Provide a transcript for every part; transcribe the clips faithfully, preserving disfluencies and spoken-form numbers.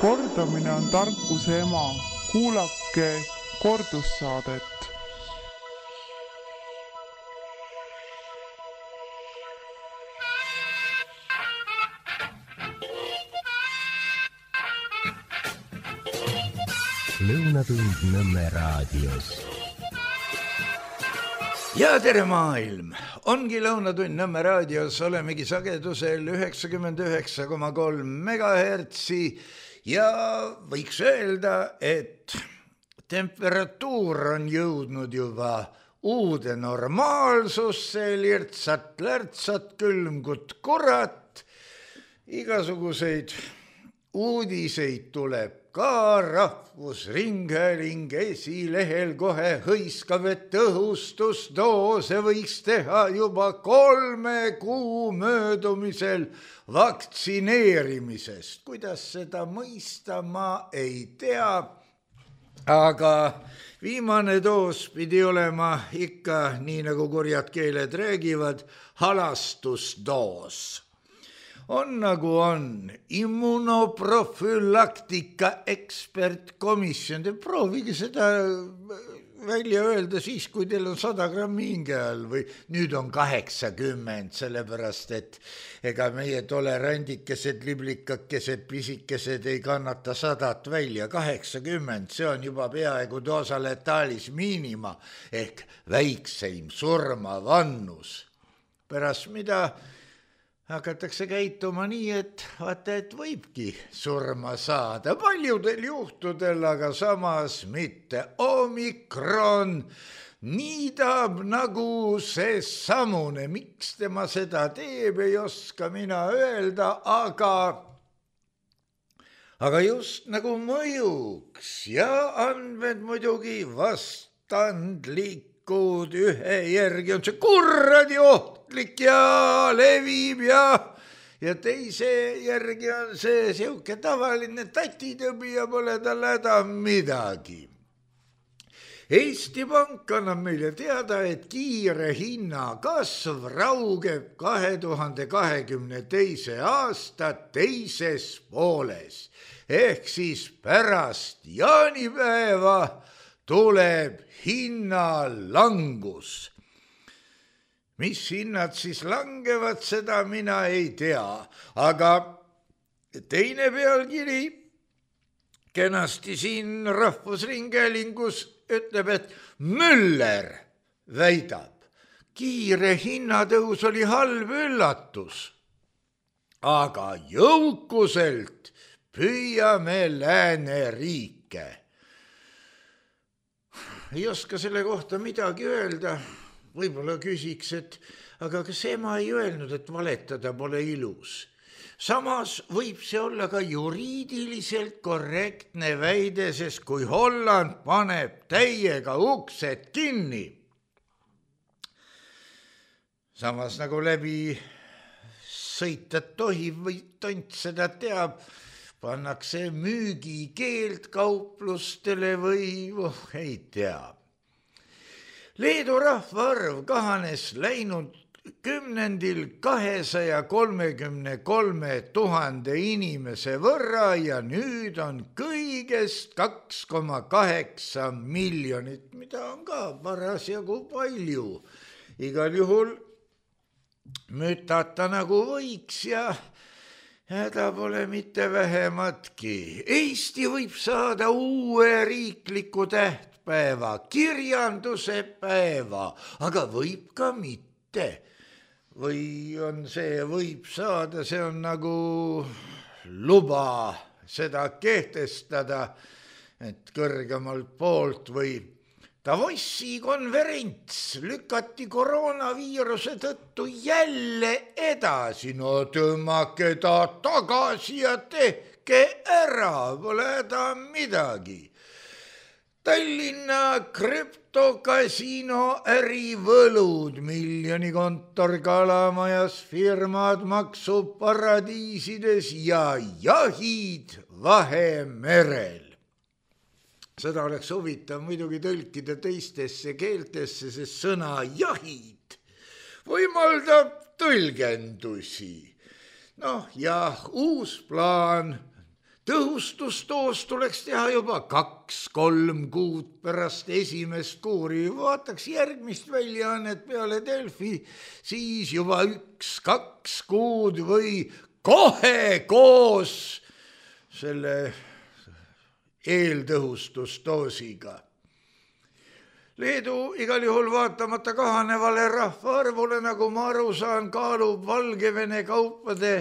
Kordamine on tarkuse ema. Kuulake kordussaadet. Lõunatund Nõmme raadios. Ja tere maailm! Ongi Lõunatund Nõmme raadios, olemegi sagedusel üheksakümmend üheksa koma kolm megahertsi ja võiks öelda, et temperatuur on jõudnud juba uude normaalsusse, lirtsat-lärtsat, külmgut kurat, igasuguseid uudiseid tuleb ka Rahvusringhääling esilehel kohe hõiskav, et õhustusdoose võiks teha juba kolme kuu möödumisel vaktsineerimisest. Kuidas seda mõista, ma ei tea, aga viimane doos pidi olema ikka, nii nagu kurjad keeled räägivad, halastusdoos. On nagu on immunoprofülaktika ekspertkomisjon. Te proovige seda välja öelda siis, kui teil on sada grammi hinge all või nüüd on kaheksakümmend, sellepärast et ega meie tolerandikesed, liblikakesed, pisikesed ei kannata sadat välja. kaheksakümmend, see on juba peaaegu doosa letaalis miinima ehk väikseim surmavannus. Pärast mida hakatakse käituma nii, et vaata, et võibki surma saada. Paljudel juhtudel, aga samas mitte. Omikron niidab nagu see samune. Miks tema seda teeb, ei oska mina öelda, aga, aga just nagu mõjuks ja andmed muidugi vastandlik. Ühe järgi on see kurradi ohtlik ja levib ja, ja teise järgi on see siuke tavaline tatitõbi ja pole tal häda midagi. Eesti Pank annab meile teada, et kiire hinnakasv raugeb kahe tuhande kahekümne teise aasta teises pooles ehk siis pärast jaanipäeva tuleb hinnalangus. Mis hinnad siis langevad, seda mina ei tea, aga teine pealkiri kenasti siin Rahvusringhäälingus ütleb, et Müller väidab, kiire hinnatõus oli halb üllatus, aga jõukuselt püüame lääneriike. Ei oska selle kohta midagi öelda, võib-olla küsiks, et aga kas ema ei öelnud, et valetada pole ilus. Samas võib see olla ka juriidiliselt korrektne väide, sest kui Holland paneb täiega uksed kinni, samas nagu läbi sõita tohib või tont seda teab, pannakse müügikeeld kauplustele või oh, ei tea. Leedu rahvaarv kahanes läinud kümnendil kahesaja kolmekümne kolme tuhande inimese võrra ja nüüd on kõigest kaks koma kaheksa miljonit, mida on ka parasjagu palju. Igal juhul mütata nagu võiks ja häda pole mitte vähematki. Eesti võib saada uue riikliku tähtpäeva, kirjanduse päeva, aga võib ka mitte. Või on see võib saada, see on nagu luba seda kehtestada, et kõrgemalt poolt või Davossi konverents lükati koroonaviiruse tõttu jälle edasi. No tõmmake ta tagasi ja tehke ära, pole häda midagi. Tallinna krüptokasiino ärivõlud, miljoni kontor kalamajas, firmad maksuparadiisides ja jahid Vahemerel. Seda oleks huvitav muidugi tõlkida teistesse keeltesse, sest sõna jahid võimaldab tõlgendusi. Noh, jah, uus plaan tõhustusdoos tuleks teha juba kaks-kolm kuud pärast esimest kuuri. Vaataks järgmist väljaannet peale Delfi, siis juba üks-kaks kuud või kohe koos selle eeltõhustusdoosiga. Leedu igal juhul vaatamata kahanevale rahvaarvule, nagu ma aru saan, kaalub Valgevene kaupade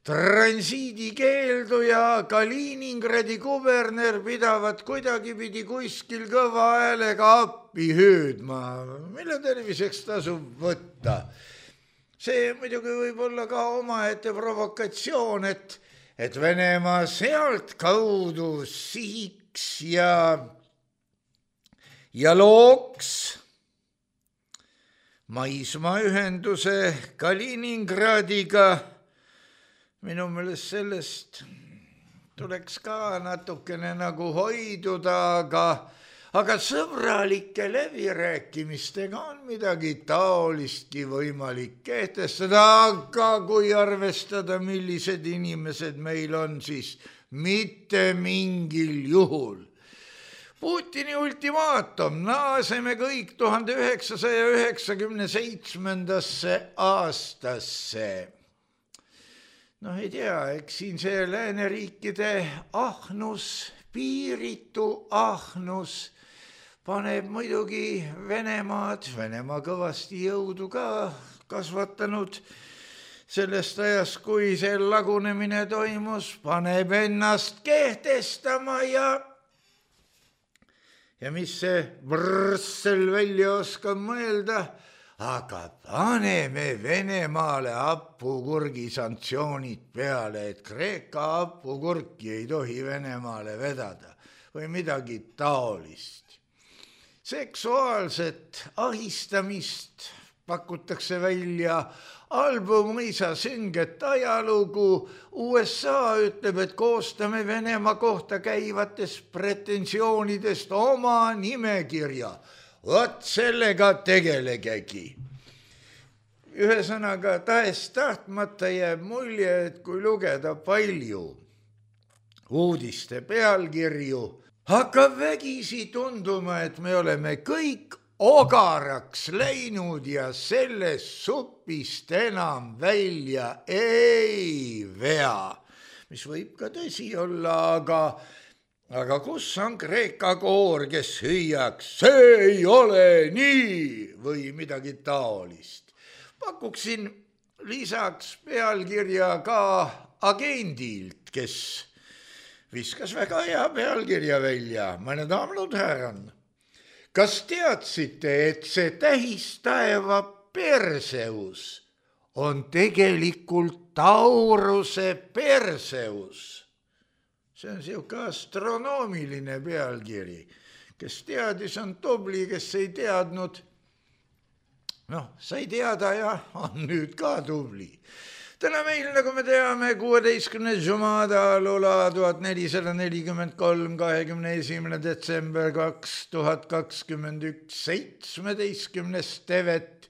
transiidikeeldu ja Kaliningradi kuberner pidavat kuidagipidi kuskil kõva häälega appi hüüdma, mille terviseks tasub võtta. See muidugi võib olla ka omaette provokatsioon, et, et Venemaa sealt kaudu sihiks ja ja looks maismaaühenduse Kaliningradiga. Minu meelest sellest tuleks ka natukene nagu hoiduda, aga, aga sõbralike läbirääkimistega on midagi taolistki võimalik kehtestada, aga kui arvestada, millised inimesed meil on, siis mitte mingil juhul. Putini ultimaatum, naaseme kõik tuhande üheksasaja üheksakümne seitsmendasse aastasse. Noh, ei tea, eks siin see lääneriikide ahnus, piiritu ahnus paneb muidugi Venemaad, Venemaa kõvasti jõudu ka kasvatanud sellest ajast, kui see lagunemine toimus, paneb ennast kehtestama ja Ja mis see Brüssel välja oskab mõelda, aga paneme Venemaale hapukurgi sanktsioonid peale, et Kreeka hapukurki ei tohi Venemaale vedada või midagi taolist. Seksuaalset ahistamist pakutakse välja, album Mõisa sünget ajalugu. U S A ütleb, et koostame Venemaa kohta käivatest pretensioonidest oma nimekirja. Vot sellega tegelegegi. Ühesõnaga, tahes tahtmata jääb mulje, et kui lugeda palju uudiste pealkirju, hakkab vägisi tunduma, et me oleme kõik ogaraks läinud ja sellest supist enam välja ei vea, mis võib ka tõsi olla, aga, aga kus on Kreeka koor, kes hüüaks, see ei ole nii või midagi taolist. Pakuksin lisaks pealkirja ka agendilt, kes viskas väga hea pealkirja välja, mõne daamnud härran. Kas teadsite, et see tähistaeva Perseus on tegelikult Tauruse Perseus? See on siuke astronoomiline pealkiri. Kes teadis, on tubli, kes ei teadnud. Noh, sai teada ja on nüüd ka tubli. Täna meil, nagu me teame, kuueteistkümnes Jumada lula tuhat nelisada nelikümmend kolm, kahekümne esimene detsember kaks tuhat kakskümmend üks, seitsmeteistkümnes Tevet,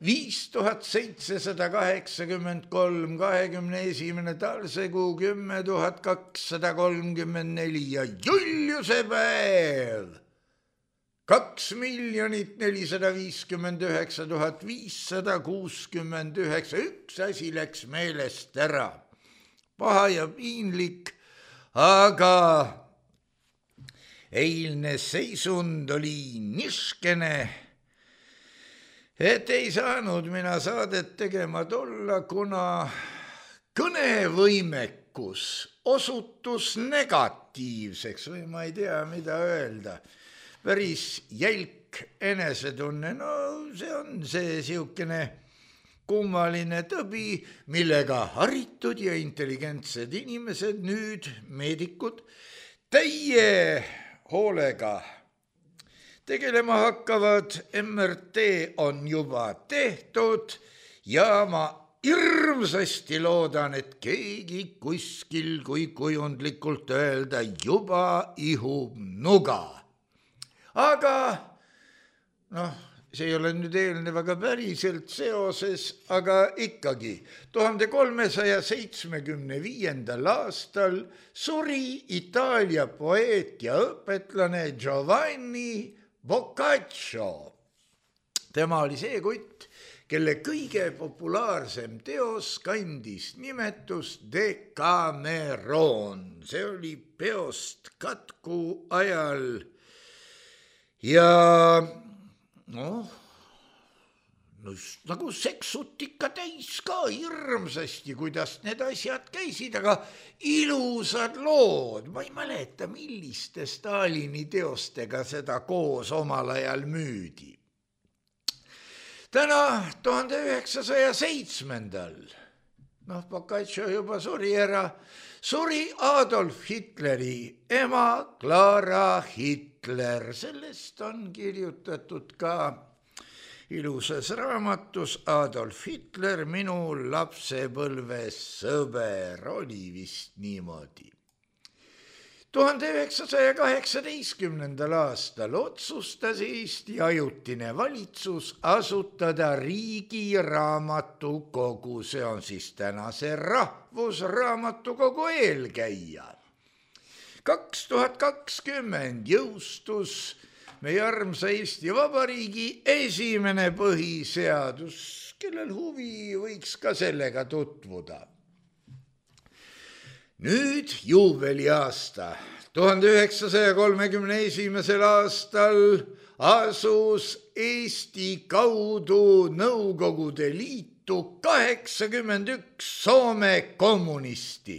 viis tuhat seitsesada kaheksakümmend kolm, kahekümne esimene talsekuu, kümme tuhat kakssada kolmkümmend neli ja Juliuse päev. Kaks miljonit nelisada viiskümmend üheksa tuhat viissada kuuskümmend üheksa. Üks asi läks meelest ära. Paha ja piinlik, aga eilne seisund oli niskene, et ei saanud mina saadet tegema tulla, kuna kõnevõimekus osutus negatiivseks või ma ei tea, mida öelda. Päris jälk enesetunne, no see on see siukene kummaline tõbi, millega haritud ja intelligentsed inimesed, nüüd meedikud, täie hoolega tegelema hakkavad. M R T on juba tehtud ja ma hirmsasti loodan, et keegi kuskil, kui kujundlikult öelda, juba ihub nuga. Aga noh, see ei ole nüüd eelnevaga päriselt seoses, aga ikkagi tuhande kolmesaja seitsmekümne viiendal aastal suri Itaalia poeet ja õpetlane Giovanni Boccaccio. Tema oli see kutt, kelle kõige populaarsem teos kandis nimetust Decameron. See oli peost katku ajal ja noh, no nagu seksut ikka täis ka hirmsasti, kuidas need asjad käisid, aga ilusad lood. Ma ei mäleta, milliste Stalini teostega seda koos omal ajal müüdi. Täna tuhande üheksasaja seitsmendal, noh, Boccaccio juba suri ära, suri Adolf Hitleri ema Clara Hitler. Sellest on kirjutatud ka ilusas raamatus Adolf Hitler, minu lapsepõlves sõber, oli vist niimoodi. tuhande üheksasaja kaheksateistkümnendal aastal otsustas Eesti ajutine valitsus asutada riigi raamatukogu, see on siis tänase Rahvusraamatukogu eelkäija. kaks tuhat kakskümmend jõustus meie armsa Eesti Vabariigi esimene põhiseadus, kellel huvi võiks ka sellega tutvuda. Nüüd juubeliaasta, tuhande üheksasaja kolmekümne esimesel aastal asus Eesti kaudu Nõukogude Liitu kaheksakümmend üks Soome kommunisti.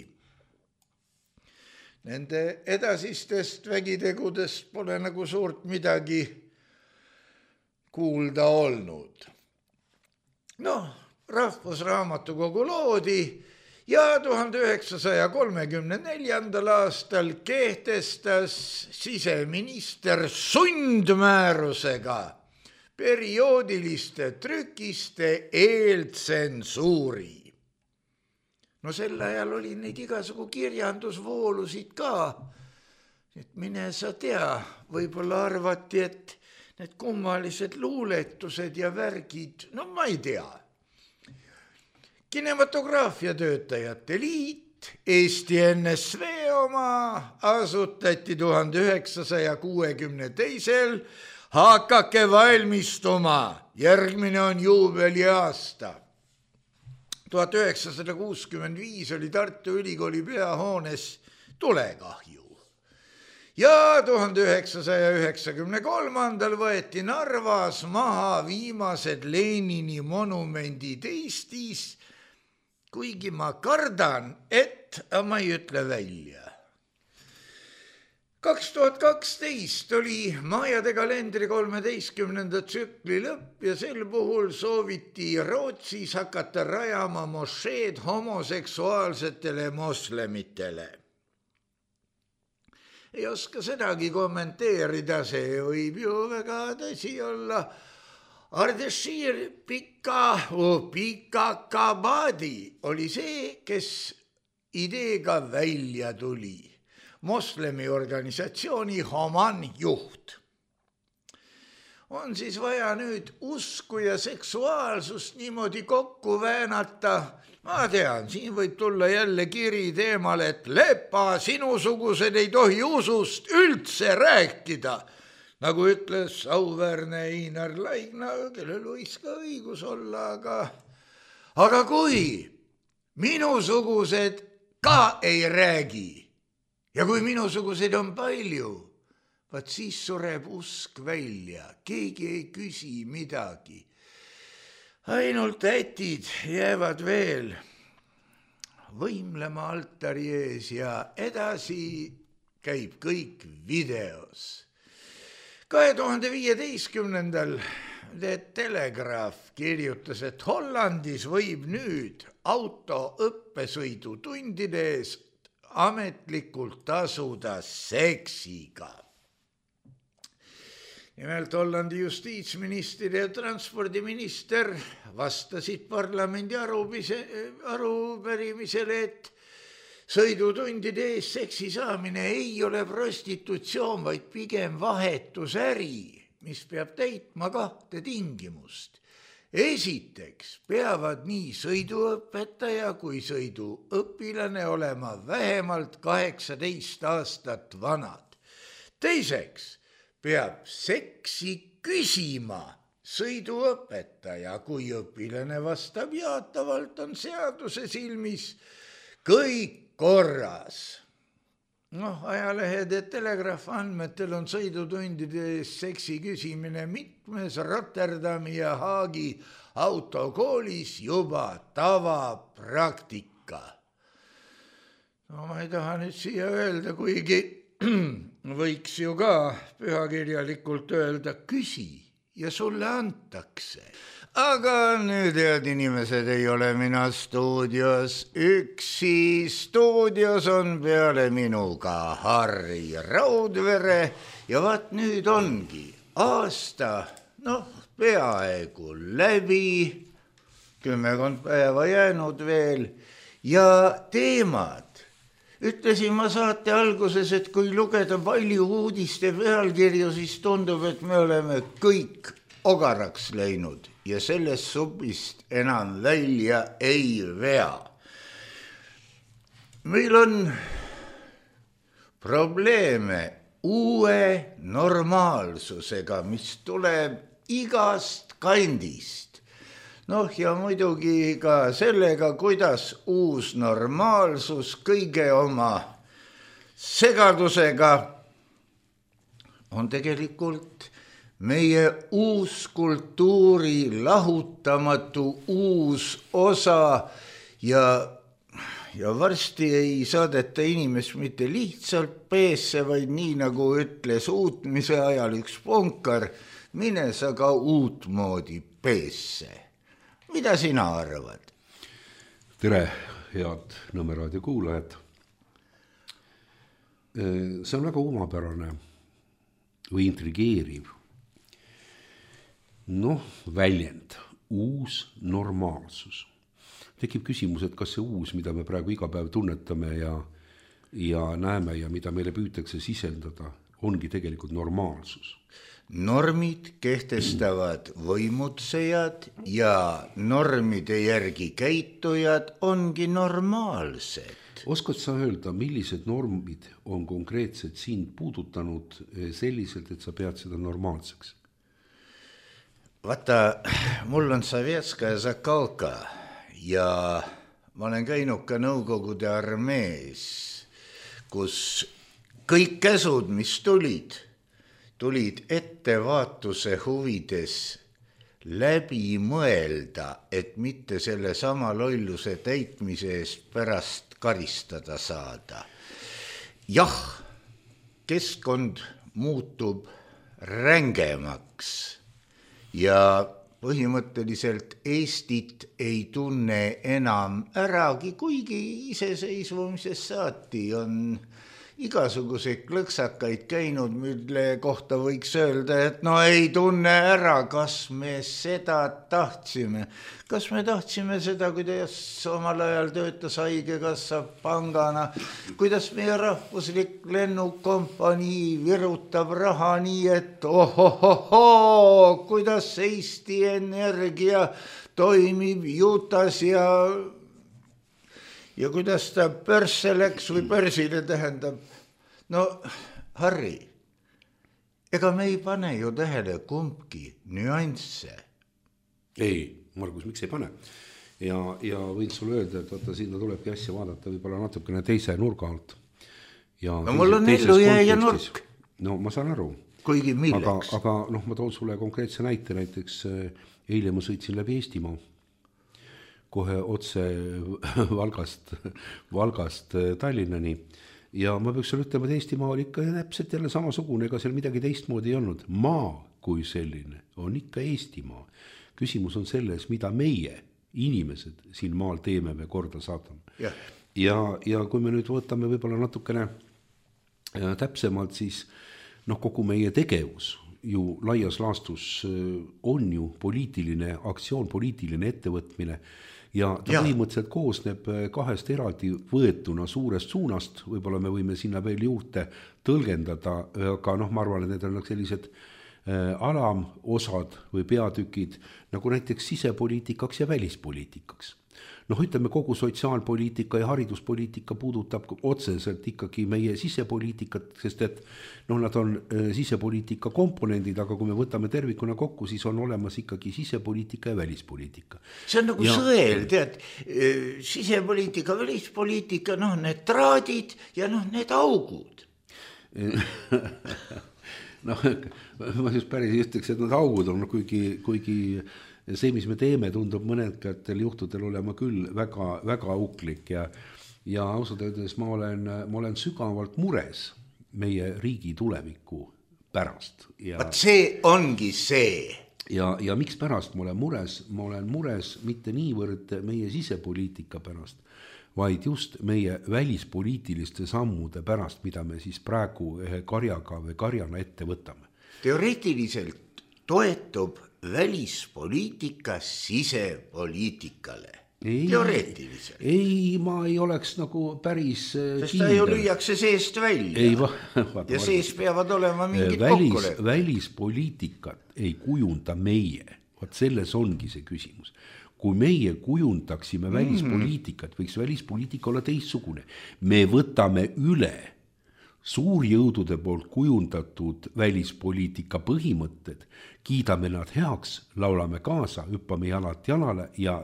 Nende edasistest vägitegudest pole nagu suurt midagi kuulda olnud. Noh, Rahvusraamatukogu loodi ja tuhande üheksasaja kolmekümne neljandal aastal kehtestas siseminister sundmäärusega perioodiliste trükiste eeltsensuuri. No sel ajal oli neid igasugu kirjandusvoolusid ka, et mine sa tea, võib-olla arvati, et need kummalised luuletused ja värgid, no ma ei tea. Kinematograafia töötajate liit, Eesti N S V oma, asutati tuhande üheksasaja kuuekümne teisel, hakake valmistuma, järgmine on juubeliaasta. tuhat üheksasada kuuskümmend viis oli Tartu Ülikooli peahoones tulekahju. Ja tuhande üheksasaja üheksakümne kolmandal võeti Narvas maha viimased Lenini monumendid Eestis, kuigi ma kardan, et ma ei ütle välja. kaks tuhat kaksteist oli Majade kalendri kolmeteistkümnenda tsükli lõpp ja sel puhul sooviti Rootsis hakata rajama mošeed homoseksuaalsetele moslemitele. Ei oska sedagi kommenteerida, see võib ju väga tõsi olla. Ardeshir Pika, Pikakabadi oli see, kes ideega välja tuli. Moslemi organisatsiooni Homan juht. On siis vaja nüüd usku ja seksuaalsust niimoodi kokku väänata. Ma tean, siin võib tulla jälle kiri teemal, et lepa, sinusugused ei tohi usust üldse rääkida. Nagu ütles auväärne Einar Laigna, kellel võis ka õigus olla, aga, aga kui minusugused ka ei räägi ja kui minusugused on palju, vaat siis sureb usk välja, keegi ei küsi midagi. Ainult ätid jäävad veel võimlema altari ees ja edasi käib kõik videos. kahe tuhande viieteistkümnendal The Telegraph kirjutas, et Hollandis võib nüüd auto õppesõidutundide eest ametlikult tasuda seksiga. Nimelt Hollandi justiitsminister ja transpordiminister vastasid parlamendi arupärimisele, et sõidutundide eest seksi saamine ei ole prostitutsioon, vaid pigem vahetusäri. mis peab täitma kahte tingimust. Esiteks peavad nii sõiduõpetaja kui sõiduõpilane olema vähemalt kaheksateist aastat vanad. Teiseks peab seksi küsima sõiduõpetaja, kui õpilane vastab jaatavalt, on seaduse silmis kõik korras. Noh, ajalehed ja telegraaf andmetel on sõidutundides seksi küsimine mitmes Rotterdami ja Haagi autokoolis juba tavapraktika. No ma ei taha nüüd siia öelda, kuigi võiks ju ka pühakirjalikult öelda, küsi ja sulle antakse. Aga nüüd, head inimesed, ei ole mina stuudios üksi. Stuudios on peale minuga Harri Raudvere ja vaat nüüd ongi aasta, noh, peaaegu läbi, kümmekond päeva jäänud veel ja teemad. Ütlesin ma saate alguses, et kui lugeda palju uudiste pealkirju, siis tundub, et me oleme kõik ogaraks läinud ja sellest supist enam välja ei vea. Meil on probleeme uue normaalsusega, mis tuleb igast kandist. Noh, ja muidugi ka sellega, kuidas uus normaalsus kõige oma segadusega on tegelikult meie uus kultuuri lahutamatu uus osa ja, ja varsti ei saadeta inimest mitte lihtsalt peesse, vaid nii nagu ütles uutmise ajal üks punkar, mine sa ka uutmoodi peesse. Mida sina arvad? Tere, head Nõmme raadio kuulajad. See on väga omapärane või intrigeeriv noh, väljend, uus normaalsus. Tekib küsimus, et kas see uus, mida me praegu iga päev tunnetame ja, ja näeme ja mida meile püütakse sisendada, ongi tegelikult normaalsus. Normid kehtestavad võimutsejad ja normide järgi käitujad ongi normaalsed. Oskad sa öelda, millised normid on konkreetselt sind puudutanud selliselt, et sa pead seda normaalseks? Vaata, mul on Sovetskaja Zakalka ja ma olen käinud ka Nõukogude armees, kus kõik käsud, mis tulid, tulid ettevaatuse huvides läbi mõelda, et mitte selle sama lolluse täitmise eest pärast karistada saada. Jah, keskkond muutub rängemaks ja põhimõtteliselt Eestit ei tunne enam äragi, kuigi iseseisvumisest saati on igasuguseid klõksakaid käinud, mille kohta võiks öelda, et no ei tunne ära, kas me seda tahtsime. Kas me tahtsime seda, kuidas omal ajal töötas Haigekassa pangana, kuidas meie rahvuslik lennukompanii virutab raha nii, et ohohoho, kuidas Eesti Energia toimib Jutas ja ja kuidas ta börsse läks või börsile tähendab. No, Harri, ega me ei pane ju tähele kumbki nüansse. Ei, Margus, miks ei pane? Ja, ja võin sulle öelda, et vaata, sinna tulebki asja vaadata võib-olla natukene teise nurga alt. Ja no mul on ellu jääja nurk. No ma saan aru. Kuigi milleks? Aga, aga noh, ma toon sulle konkreetse näite, näiteks eile ma sõitsin läbi Eestimaa. Kohe otse Valgast, Valgast Tallinnani ja ma peaks sulle ütlema, et Eestimaa oli ikka täpselt jälle samasugune, ega seal midagi teistmoodi ei olnud. Maa kui selline on ikka Eestimaa. Küsimus on selles, mida meie inimesed siin maal teeme või korda saadame. Yeah. Ja, ja kui me nüüd võtame võib-olla natukene täpsemalt, siis noh, kogu meie tegevus ju laias laastus on ju poliitiline aktsioon, poliitiline ettevõtmine ja ta ja. põhimõtteliselt koosneb kahest eraldi võetuna suurest suunast, võib-olla me võime sinna veel juurde tõlgendada, aga noh, ma arvan, et need on sellised alamosad või peatükid nagu näiteks sisepoliitikaks ja välispoliitikaks. Noh, ütleme kogu sotsiaalpoliitika ja hariduspoliitika puudutab otseselt ikkagi meie sisepoliitikat, sest et noh, nad on sisepoliitika komponendid, aga kui me võtame tervikuna kokku, siis on olemas ikkagi sisepoliitika ja välispoliitika. See on nagu ja... sõel, tead, sisepoliitika, välispoliitika, noh, need traadid ja noh, need augud. noh, ma just päris ütleks, et need augud on, kuigi, kuigi see, mis me teeme, tundub mõnedkatel juhtudel olema küll väga, väga auklik ja, ja ausalt öeldes ma olen, ma olen sügavalt mures meie riigi tuleviku pärast. Ja, Vaat see ongi see. Ja, ja miks pärast ma olen mures? Ma olen mures mitte niivõrd meie sisepoliitika pärast, vaid just meie välispoliitiliste sammude pärast, mida me siis praegu ühe karjaga või karjana ette võtame. Teoreetiliselt toetub välispoliitika sisepoliitikale. Ei, teoreetiliselt. Ei, ma ei oleks nagu päris sest kindel. Ta ju lüüakse seest välja. Ei, va, vaata, ja sees peavad olema mingid välis, kokkulepped. Välispoliitikat ei kujunda meie. Vaat selles ongi see küsimus. Kui meie kujundaksime välispoliitikat, võiks välispoliitika olla teistsugune. Me võtame üle suurjõudude poolt kujundatud välispoliitika põhimõtted, kiidame nad heaks, laulame kaasa, hüppame jalalt jalale ja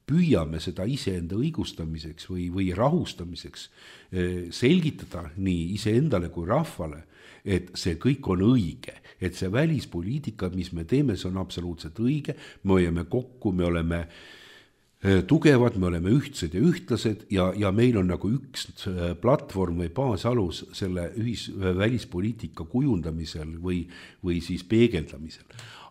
püüame seda iseenda õigustamiseks või, või rahustamiseks selgitada nii iseendale kui rahvale, et see kõik on õige, et see välispoliitika, mis me teeme, see on absoluutselt õige, me hoiame kokku, me oleme tugevad, me oleme ühtsed ja ühtlased ja, ja meil on nagu üks platvorm või baasalus selle ühis, välispoliitika kujundamisel või, või siis peegeldamisel.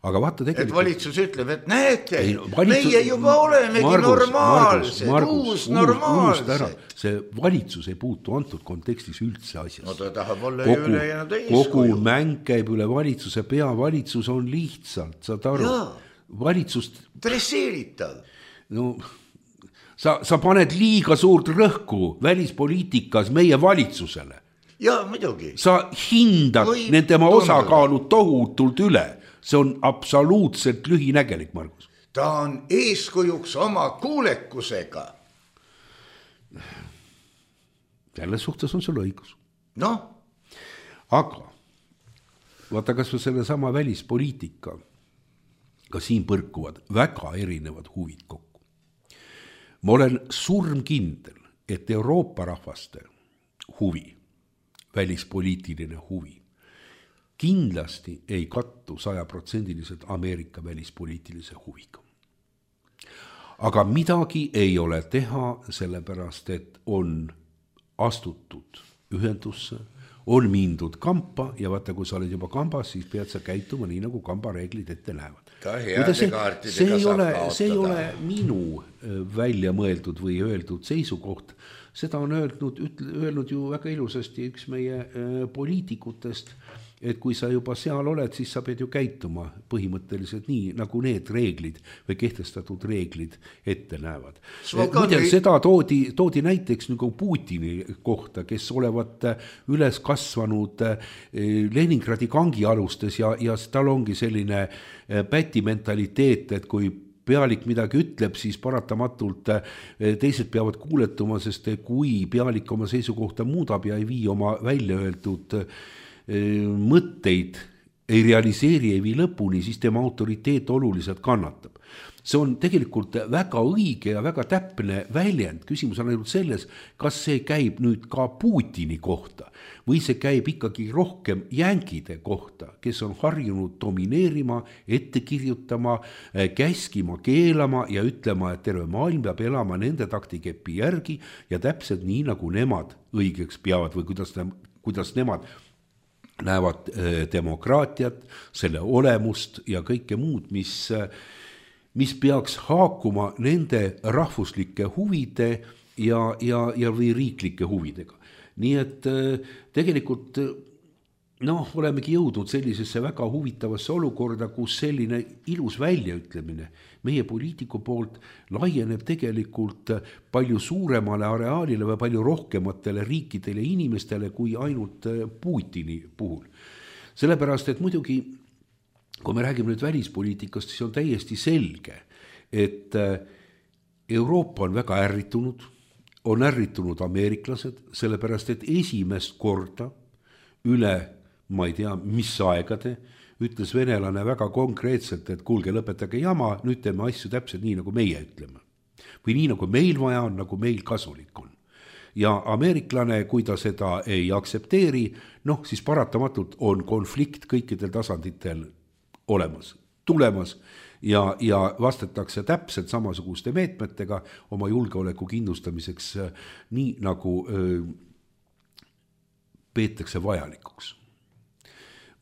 Aga vaata tegelikult... Et valitsus ütleb, et näete, ei, valitsus, meie juba olemegi Margus, normaalsed, Margus, uus normaalsed. See valitsus ei puutu antud kontekstis üldse asjas. No ta tahab olla kogu, üle ja nad eeskuju. Kogu mäng käib üle valitsuse pea, valitsus on lihtsalt, saad aru, valitsust... Dresseeritav. No, sa, sa paned liiga suurt rõhku välispoliitikas meie valitsusele. Ja, muidugi. Sa hindad Või nende tema osakaalu tohutult üle. See on absoluutselt lühinägelik, Margus. Ta on eeskujuks oma kuulekusega. Selles suhtes on sul õigus. No. Aga vaata, kas selle sama välispoliitika, ka siin põrkuvad väga erinevad huvid kokku. Ma olen surmkindel, et Euroopa rahvaste huvi, välispoliitiline huvi, kindlasti ei kattu sajaprotsendiliselt Ameerika välispoliitilise huviga. Aga midagi ei ole teha, sellepärast et on astutud ühendusse, on mindud kampa ja vaata, kui sa oled juba kambas, siis pead sa käituma nii, nagu kambareeglid ette näevad. See, see, ei ole, see ei ole minu välja mõeldud või öeldud seisukoht. Seda on öelnud, öelnud ju väga ilusasti üks meie poliitikutest, et kui sa juba seal oled, siis sa pead ju käituma põhimõtteliselt nii, nagu need reeglid või kehtestatud reeglid ette näevad. Muide, seda toodi, toodi näiteks nagu Putini kohta, kes olevat üles kasvanud Leningradi kangialustes ja, ja tal ongi selline päti mentaliteet, et kui pealik midagi ütleb, siis paratamatult teised peavad kuuletuma, sest kui pealik oma seisukohta muudab ja ei vii oma välja öeldud mõtteid, ei realiseeri, ei vii lõpuni, siis tema autoriteet oluliselt kannatab. See on tegelikult väga õige ja väga täpne väljend. Küsimus on ainult selles, kas see käib nüüd ka Putini kohta või see käib ikkagi rohkem jänkide kohta, kes on harjunud domineerima, ette kirjutama, käskima, keelama ja ütlema, et terve maailm peab elama nende taktikepi järgi ja täpselt nii, nagu nemad õigeks peavad või kuidas, kuidas nemad näevad demokraatiat, selle olemust ja kõike muud, mis, mis peaks haakuma nende rahvuslike huvide ja, ja, ja või riiklike huvidega. Nii et tegelikult noh, olemegi jõudnud sellisesse väga huvitavasse olukorda, kus selline ilus väljaütlemine meie poliitiku poolt laieneb tegelikult palju suuremale areaalile või palju rohkematele riikidele ja inimestele kui ainult Putini puhul. Sellepärast, et muidugi kui me räägime nüüd välispoliitikast, siis on täiesti selge, et Euroopa on väga ärritunud, on ärritunud ameeriklased, sellepärast et esimest korda üle, ma ei tea, mis aegade, ütles venelane väga konkreetselt, et kuulge, lõpetage jama, nüüd teeme asju täpselt nii, nagu meie ütleme. Või nii, nagu meil vaja on, nagu meil kasulik on. Ja ameeriklane, kui ta seda ei aksepteeri, noh, siis paratamatult on konflikt kõikidel tasanditel olemas, tulemas ja, ja vastatakse täpselt samasuguste meetmetega oma julgeoleku kindlustamiseks, nii nagu öö, peetakse vajalikuks.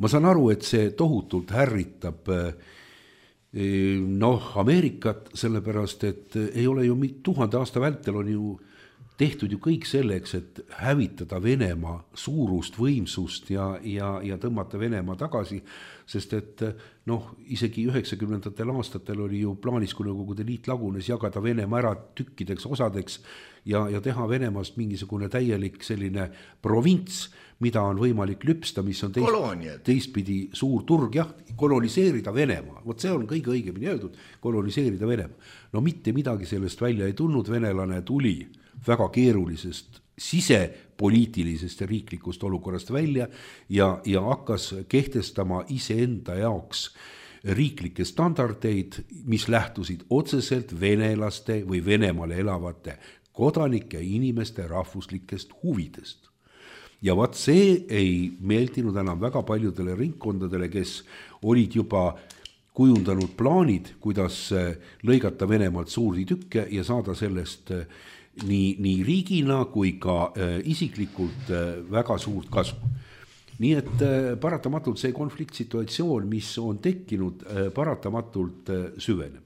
Ma saan aru, et see tohutult härritab noh, Ameerikat, sellepärast, et ei ole ju tuhande aasta vältel on ju tehtud ju kõik selleks, et hävitada Venemaa suurust, võimsust ja, ja, ja tõmmata Venemaa tagasi, sest et noh, isegi üheksakümnendatel aastatel oli ju plaanis, kui Nõukogude Liit lagunes, jagada Venemaa ära tükkideks, osadeks ja, ja teha Venemaast mingisugune täielik selline provints, mida on võimalik lüpsta, mis on teist, teistpidi suur turg, jah, koloniseerida Venemaa. Vot see on kõige õigemini öeldud, koloniseerida Venemaa. No mitte midagi sellest välja ei tulnud, venelane tuli väga keerulisest sisepoliitilisest ja riiklikust olukorrast välja ja, ja hakkas kehtestama iseenda jaoks riiklikke standardeid, mis lähtusid otseselt venelaste või Venemaale elavate kodanike inimeste rahvuslikest huvidest. Ja vaat see ei meeldinud enam väga paljudele ringkondadele, kes olid juba kujundanud plaanid, kuidas lõigata Venemaalt suuri tükke ja saada sellest nii, nii riigina kui ka äh, isiklikult äh, väga suurt kasu. Nii et äh, paratamatult see konfliktsituatsioon, mis on tekkinud, äh, paratamatult äh, süveneb.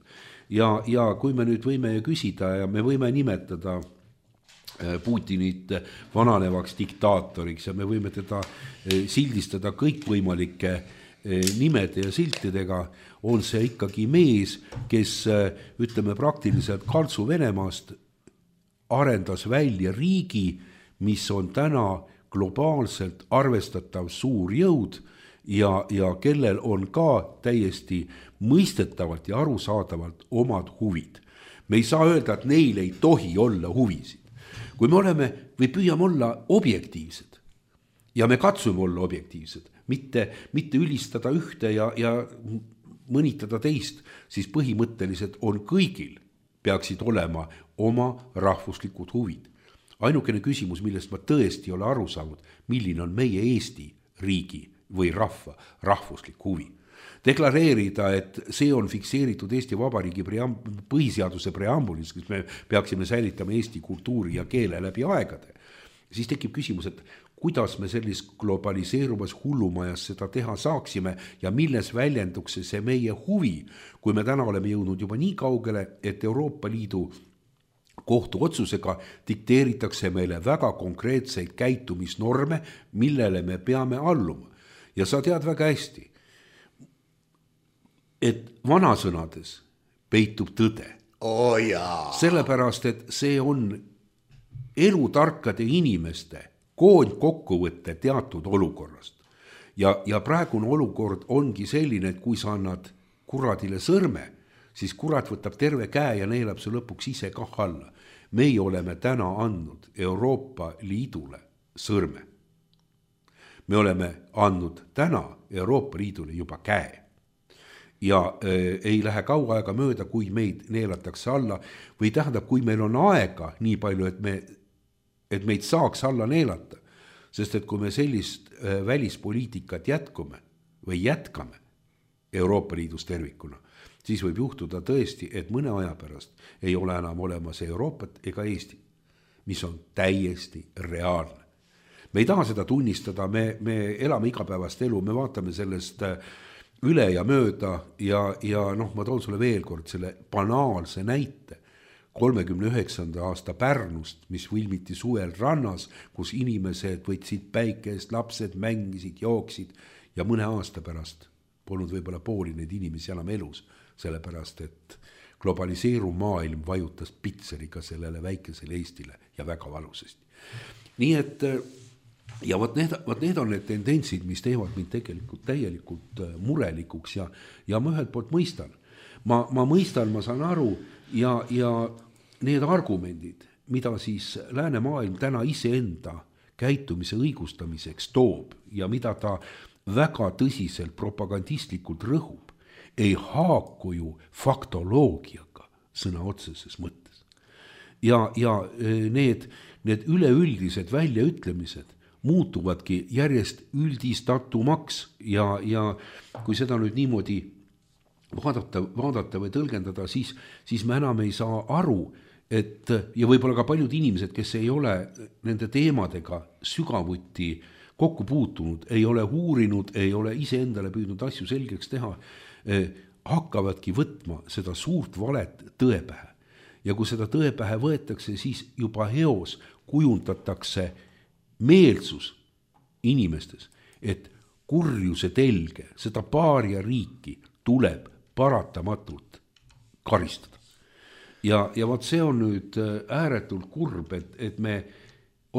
Ja, ja kui me nüüd võime küsida ja me võime nimetada äh, Putinit vananevaks diktaatoriks ja me võime teda äh, sildistada kõikvõimalike äh, nimede ja siltidega, on see ikkagi mees, kes äh, ütleme praktiliselt Kaltsu Venemaast arendas välja riigi, mis on täna globaalselt arvestatav suur jõud ja, ja kellel on ka täiesti mõistetavalt ja arusaadavalt omad huvid. Me ei saa öelda, et neil ei tohi olla huvisid. Kui me oleme või püüame olla objektiivsed ja me katsume olla objektiivsed, mitte, mitte ülistada ühte ja, ja mõnitada teist, siis põhimõtteliselt on kõigil peaksid olema oma rahvuslikud huvid. Ainukene küsimus, millest ma tõesti ei ole aru saanud, milline on meie Eesti riigi või rahva rahvuslik huvi. Deklareerida, et see on fikseeritud Eesti Vabariigi preamb- põhiseaduse preambulis, kus me peaksime säilitama Eesti kultuuri ja keele läbi aegade, siis tekib küsimus, et kuidas me sellis globaliseeruvas hullumajas seda teha saaksime ja milles väljenduks see meie huvi, kui me täna oleme jõudnud juba nii kaugele, et Euroopa Liidu kohtu otsusega dikteeritakse meile väga konkreetseid käitumisnorme, millele me peame alluma. Ja sa tead väga hästi, et vanasõnades peitub tõde. Oh jaa. Sellepärast, et see on elutarkade inimeste koondkokkuvõtte teatud olukorrast. Ja, ja praegune olukord ongi selline, et kui sa annad kuradile sõrme, siis kurat võtab terve käe ja neelab see lõpuks ise kah alla. Meie oleme täna andnud Euroopa Liidule sõrme. Me oleme andnud täna Euroopa Liidule juba käe. Ja äh, ei lähe kaua aega mööda, kui meid neelatakse alla, või tähendab, kui meil on aega nii palju, et, me, et meid saaks alla neelata, sest et kui me sellist äh, välispoliitikat jätkume või jätkame Euroopa Liidus tervikuna, siis võib juhtuda tõesti, et mõne aja pärast ei ole enam olemas Euroopat ega Eesti, mis on täiesti reaalne. Me ei taha seda tunnistada, me, me elame igapäevast elu, me vaatame sellest üle ja mööda ja, ja noh, ma toon sulle veel kord selle banaalse näite kolmekümne üheksanda aasta Pärnust, mis filmiti suvel rannas, kus inimesed võtsid päikest, lapsed mängisid, jooksid ja mõne aasta pärast polnud võib-olla pooli neid inimesi enam elus, sellepärast et globaliseeruv maailm vajutas pitseriga sellele väikesele Eestile ja väga valusasti. Nii et ja vot need, vot need on need tendentsid, mis teevad mind tegelikult täielikult murelikuks ja, ja ma ühelt poolt mõistan. Ma, ma mõistan, ma saan aru ja, ja need argumendid, mida siis läänemaailm täna iseenda käitumise õigustamiseks toob ja mida ta väga tõsiselt propagandistlikult rõhub, ei haaku ju faktoloogiaga sõna otseses mõttes. Ja, ja need, need üleüldised väljaütlemised muutuvadki järjest üldistatumaks ja, ja kui seda nüüd niimoodi vaadata, vaadata või tõlgendada, siis, siis me enam ei saa aru, et ja võib-olla ka paljud inimesed, kes ei ole nende teemadega sügavuti kokku puutunud, ei ole uurinud, ei ole iseendale püüdnud asju selgeks teha, eh, hakkavadki võtma seda suurt valet tõepähe. Ja kui seda tõepähe võetakse, siis juba heos kujundatakse meelsus inimestes, et kurjuse telge, seda paaria riiki tuleb paratamatult karistada. Ja, ja vaat see on nüüd ääretult kurb, et, et me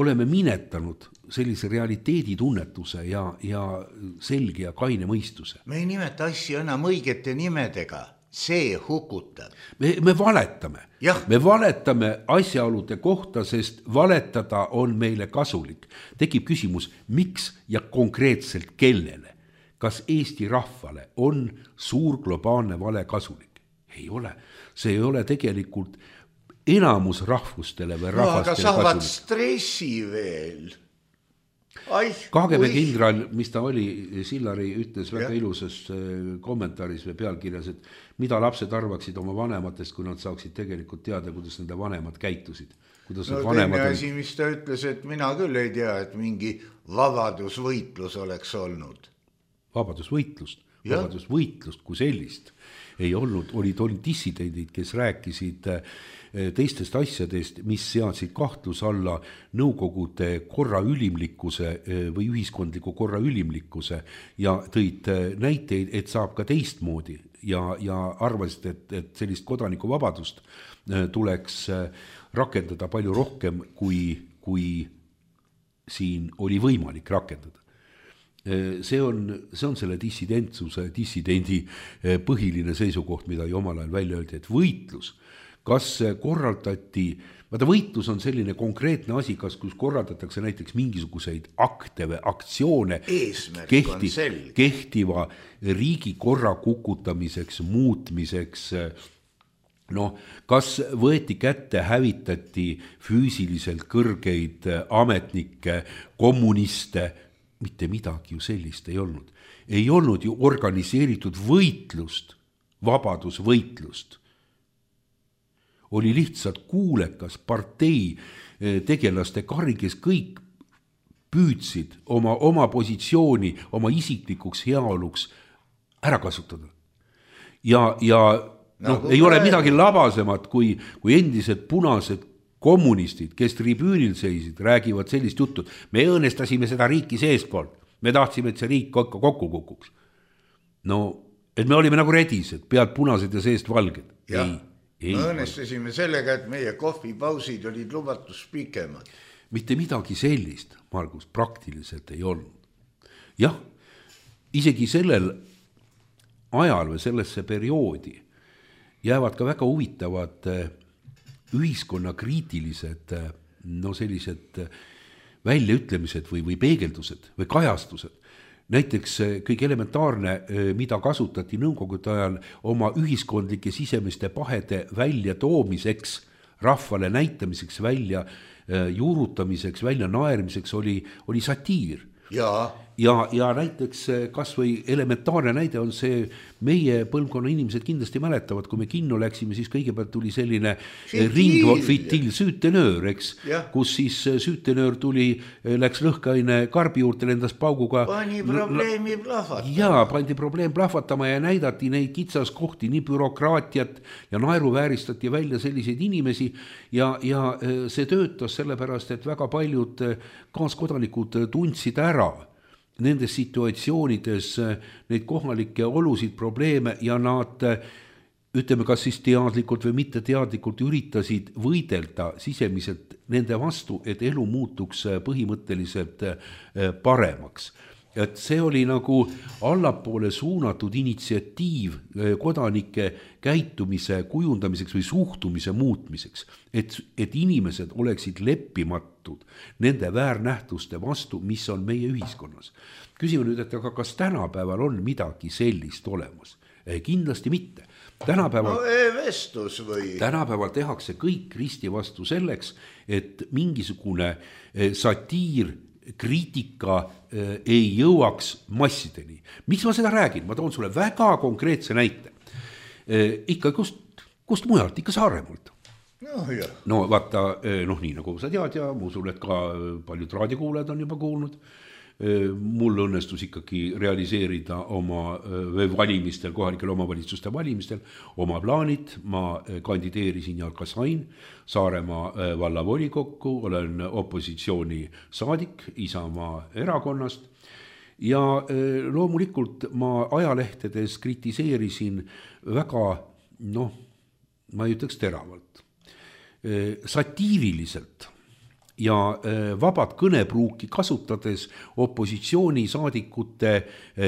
oleme minetanud sellise realiteedi tunnetuse ja, ja selge ja kaine mõistuse. Me ei nimeta asju enam õigete nimedega, see hukutab. Me, me valetame. Me valetame asjaolude kohta, sest valetada on meile kasulik. Tekib küsimus, miks ja konkreetselt kellele? Kas Eesti rahvale on suur globaalne vale kasulik? Ei ole. See ei ole tegelikult enamus rahvustele või rahvastele no, aga saavad kasulik. Stressi veel. Ai, K G B kindral, mis ta oli, Sillari ütles väga ja. Ilusas kommentaaris või pealkirjas, et mida lapsed arvaksid oma vanematest, kui nad saaksid tegelikult teada, kuidas nende vanemad käitusid. Kuidas no teine asi, mis ta ütles, et mina küll ei tea, et mingi vabadusvõitlus oleks olnud. Vabadusvõitlust, vabadusvõitlust kui sellist ei olnud, olid, olid dissidendid, kes rääkisid teistest asjadest, mis seadsid kahtlus alla nõukogude korra ülimlikkuse või ühiskondliku korra ülimlikkuse ja tõid näiteid, et saab ka teistmoodi ja, ja arvasid, et, et sellist kodanikuvabadust tuleks rakendada palju rohkem, kui, kui siin oli võimalik rakendada. See on, see on selle dissidentsuse, dissidendi põhiline seisukoht, mida ju omal ajal välja öeldi, et võitlus, kas korraldati, vaata võitlus on selline konkreetne asi, kas kus korraldatakse näiteks mingisuguseid akte või aktsioone kehti, kehtiva riigi korra kukutamiseks, muutmiseks, noh, kas võeti kätte, hävitati füüsiliselt kõrgeid ametnikke, kommuniste, mitte midagi ju sellist ei olnud. Ei olnud ju organiseeritud võitlust, vabadusvõitlust. Oli lihtsalt kuulekas partei tegelaste kari, kes kõik püüdsid oma, oma positsiooni, oma isiklikuks heaoluks ära kasutada. Ja, ja noh, ei ole midagi labasemat, kui, kui endised punased kommunistid, kes tribüünil seisid, räägivad sellist juttu, me õõnestasime seda riiki seestpoolt, me tahtsime, et see riik kokku, kokku kukuks. No, et me olime nagu redised, pealt punased ja seest valged. Ja, ei, me õõnestasime sellega, et meie kohvipausid olid lubatus pikemad. Mitte midagi sellist, Margus, praktiliselt ei olnud. Jah, isegi sellel ajal või sellesse perioodi jäävad ka väga huvitavad ühiskonna kriitilised no sellised väljaütlemised või, või peegeldused või kajastused. Näiteks kõige elementaarne, mida kasutati nõukogude ajal oma ühiskondlike sisemiste pahede välja toomiseks, rahvale näitamiseks, välja juurutamiseks, välja naermiseks oli, oli satiir. Ja. Ja, ja näiteks kas või elementaarne näide on see, meie põlvkonna inimesed kindlasti mäletavad, kui me kinno läksime, siis kõigepealt tuli selline ring, fitil, süütenöör, eks, ja. Kus siis süütenöör tuli, läks lõhkaine karbi juurde, lendas pauguga. Pani probleemi plahvatama. Jaa, pandi probleem plahvatama ja näidati neid kitsaskohti, nii bürokraatiat ja naeruvääristati välja selliseid inimesi ja, ja see töötas sellepärast, et väga paljud kaaskodanikud tundsid ära nendes situatsioonides neid kohalikke olusid, probleeme ja nad ütleme, kas siis teadlikult või mitte teadlikult üritasid võidelda sisemiselt nende vastu, et elu muutuks põhimõtteliselt paremaks. Et see oli nagu allapoole suunatud initsiatiiv kodanike käitumise kujundamiseks või suhtumise muutmiseks, et, et inimesed oleksid leppimatud nende väärnähtuste vastu, mis on meie ühiskonnas. Küsime nüüd, et aga kas tänapäeval on midagi sellist olemas? Kindlasti mitte. Tänapäeval, no e-vestlus või? Tänapäeval tehakse kõik risti vastu selleks, et mingisugune satiir, kriitika ei jõuaks massideni. Miks ma seda räägin? Ma toon sulle väga konkreetse näite. Ikka kust, kust mujalt, ikka Saaremaalt. No, jah. no vaata, noh nii nagu sa tead ja ma usun, et ka paljud raadiokuulajad on juba kuulnud. Mul õnnestus ikkagi realiseerida oma valimistel, kohalikel omavalitsuste valimistel oma plaanid. Ma kandideerisin ja ka sain Saaremaa vallavolikokku, olen opositsiooni saadik Isamaa erakonnast ja loomulikult ma ajalehtedes kritiseerisin väga, noh, ma ei ütleks teravalt, satiiriliselt ja vabad kõnepruuki kasutades opositsioonisaadikute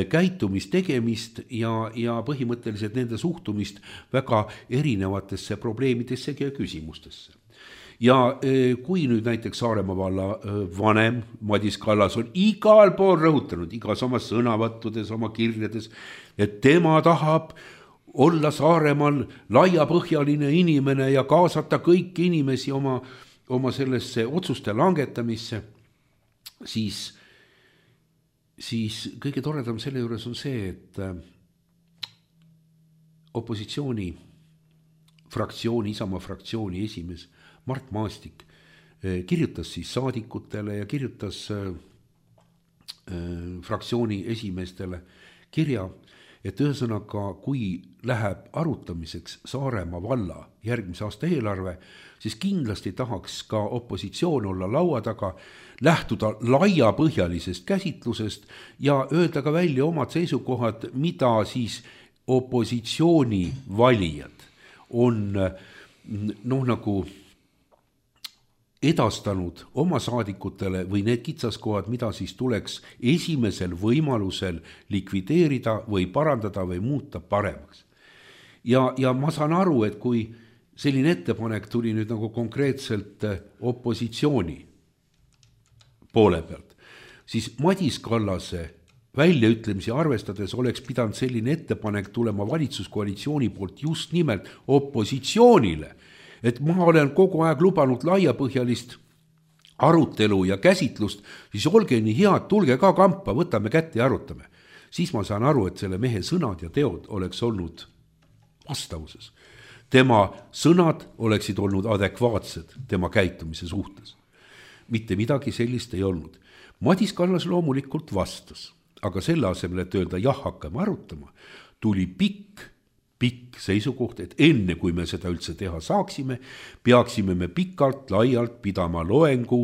käitumistegemist ja, ja põhimõtteliselt nende suhtumist väga erinevatesse probleemidesse ja küsimustesse. Ja kui nüüd näiteks Saaremaa valla vanem Madis Kallas on igal pool rõhutanud, igas oma sõnavõttudes, oma kirjades, et tema tahab olla Saaremaal laiapõhjaline inimene ja kaasata kõiki inimesi oma oma sellesse otsuste langetamisse, siis, siis kõige toredam selle juures on see, et opositsiooni fraktsiooni, Isamaa fraktsiooni esimees Mart Maastik kirjutas siis saadikutele ja kirjutas fraktsiooni esimeestele kirja, et ühesõnaga, kui läheb arutamiseks Saaremaa valla järgmise aasta eelarve, siis kindlasti tahaks ka opositsioon olla laua taga, lähtuda laiapõhjalisest käsitlusest ja öelda ka välja omad seisukohad, mida siis opositsiooni valijad on noh nagu edastanud oma saadikutele või need kitsaskohad, mida siis tuleks esimesel võimalusel likvideerida või parandada või muuta paremaks. Ja, ja ma saan aru, et kui selline ettepanek tuli nüüd nagu konkreetselt opositsiooni poole pealt, siis Madis Kallase väljaütlemisi arvestades oleks pidanud selline ettepanek tulema valitsuskoalitsiooni poolt just nimelt opositsioonile, et ma olen kogu aeg lubanud laiapõhjalist arutelu ja käsitlust, siis olge nii head, tulge ka kampa, võtame kätte ja arutame. Siis ma saan aru, et selle mehe sõnad ja teod oleks olnud vastavuses. Tema sõnad oleksid olnud adekvaatsed tema käitumise suhtes. Mitte midagi sellist ei olnud. Madis Kallas loomulikult vastas, aga selle asemel, et öelda jah, hakkame arutama, tuli pikk pikk seisukoht, et enne kui me seda üldse teha saaksime, peaksime me pikalt, laialt pidama loengu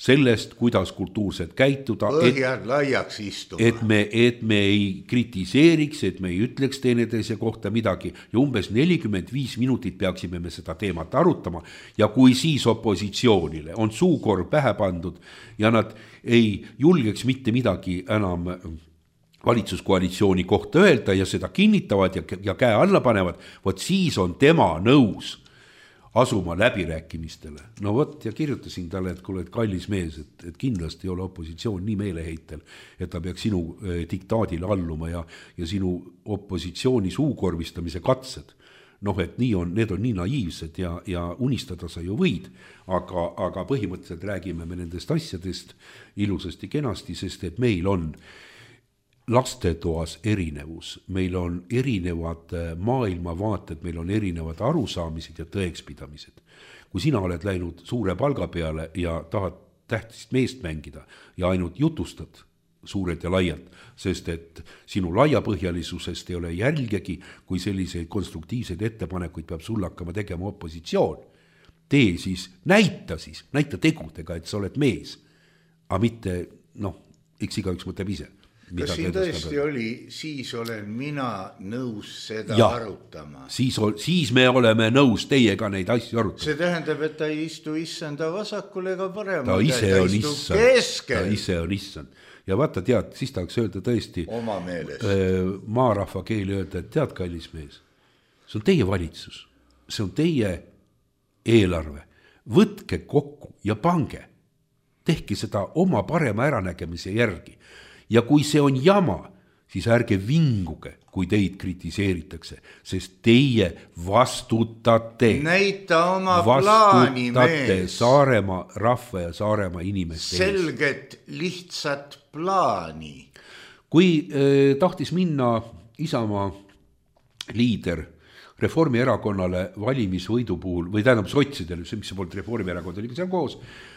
sellest, kuidas kultuurselt käituda. Põhjad laiaks istuma. Et me, et me ei kritiseeriks, et me ei ütleks teineteise kohta midagi ja umbes nelikümmend viis minutit peaksime me seda teemat arutama ja kui siis opositsioonile on suukorv pähe pandud ja nad ei julgeks mitte midagi enam valitsuskoalitsiooni kohta öelda ja seda kinnitavad ja, ja käe alla panevad, vot siis on tema nõus asuma läbirääkimistele. No vot, ja kirjutasin talle, et kuule, et kallis mees, et, et kindlasti ei ole opositsioon nii meeleheitel, et ta peaks sinu eh, diktaadile alluma ja, ja sinu opositsiooni suukorvistamise katsed. Noh, et nii on, need on nii naiivsed ja, ja unistada sa ju võid, aga, aga põhimõtteliselt räägime me nendest asjadest ilusasti kenasti, sest et meil on lastetoas erinevus, meil on erinevad maailmavaated, meil on erinevad arusaamised ja tõekspidamised. Kui sina oled läinud suure palga peale ja tahad tähtist meest mängida ja ainult jutustad suured ja laialt, sest et sinu laiapõhjalisusest ei ole jälgegi, kui selliseid konstruktiivseid ettepanekuid peab sul hakkama tegema opositsioon. Tee siis, näita siis, näita tegudega, et sa oled mees, aga mitte, noh, eks igaüks mõtleb ise. kas siin tõesti oli, siis olen mina nõus seda ja, arutama? Siis, siis me oleme nõus teiega neid asju arutama. See tähendab, et ta ei istu issanda vasakul ega paremal. Ta ise ta on issand. Keskel. Ta ise on issand. Ja vaata tead, siis tahaks öelda tõesti oma meelest. Maarahva keeli öelda, et tead, kallis mees, see on teie valitsus, see on teie eelarve. Võtke kokku ja pange. Tehke seda oma parema äranägemise järgi. Ja kui see on jama, siis ärge vinguge, kui teid kritiseeritakse, sest teie vastutate. Näita oma plaani, mees. Saaremaa rahva ja Saaremaa inimeste ees. Selget, lihtsat plaani. Kui eh, tahtis minna Isamaa liider Reformierakonnale valimisvõidu puhul, või tähendab sotsidele, mis see polnud Reformierakond, oli seal koos,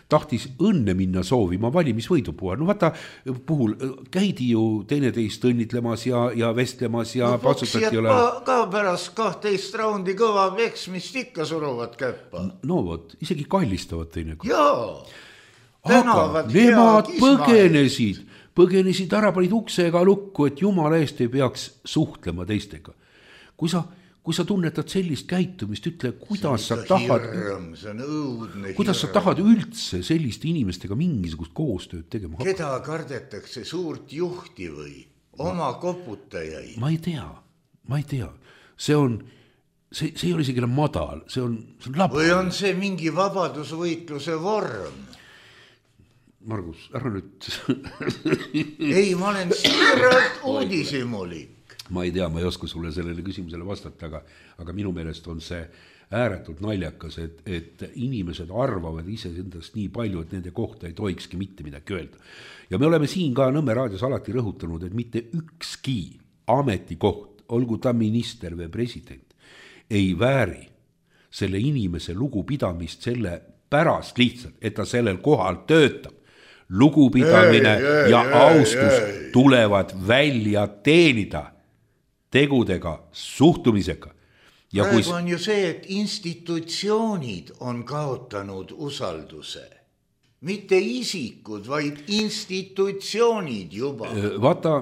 tahtis õnne minna soovima valimisvõidu puhul. No vaata, puhul käidi ju teineteist õnnitlemas ja, ja vestlemas ja no, patsutati ole... ka, ka pärast kahteist raundi kõva veksmist ikka suruvad käppa. No vot, isegi kallistavad teinekord. Jaa, aga nemad põgenesid, põgenesid ära, panid uksega lukku, et jumala eest ei peaks suhtlema teistega. Kui sa Kui sa tunnetad sellist käitumist, ütle, kuidas sa tahad, hirm, õudne, kuidas sa tahad üldse selliste inimestega mingisugust koostööd tegema? Keda kardetakse, suurt juhti või oma koputajaid? Ma ei tea, ma ei tea. See on, see, see ei ole isegi madal, see on, see on laba. Või on see mingi vabadusvõitluse vorm? Margus, ära nüüd. Ei, ma olen siiralt uudisimulik. Ma ei tea, ma ei oska sulle sellele küsimusele vastata, aga, aga minu meelest on see ääretult naljakas, et, et inimesed arvavad ise endast nii palju, et nende kohta ei tohikski mitte midagi öelda. Ja me oleme siin ka Nõmme raadios alati rõhutanud, et mitte ükski ametikoht, olgu ta minister või president, ei vääri selle inimese lugupidamist selle pärast lihtsalt, et ta sellel kohal töötab. Lugupidamine ei, ei, ja ei, austus ei. Tulevad välja teenida tegudega, suhtumisega. Ja praegu kui... on ju see, et institutsioonid on kaotanud usalduse. Mitte isikud, vaid institutsioonid juba. Vaata,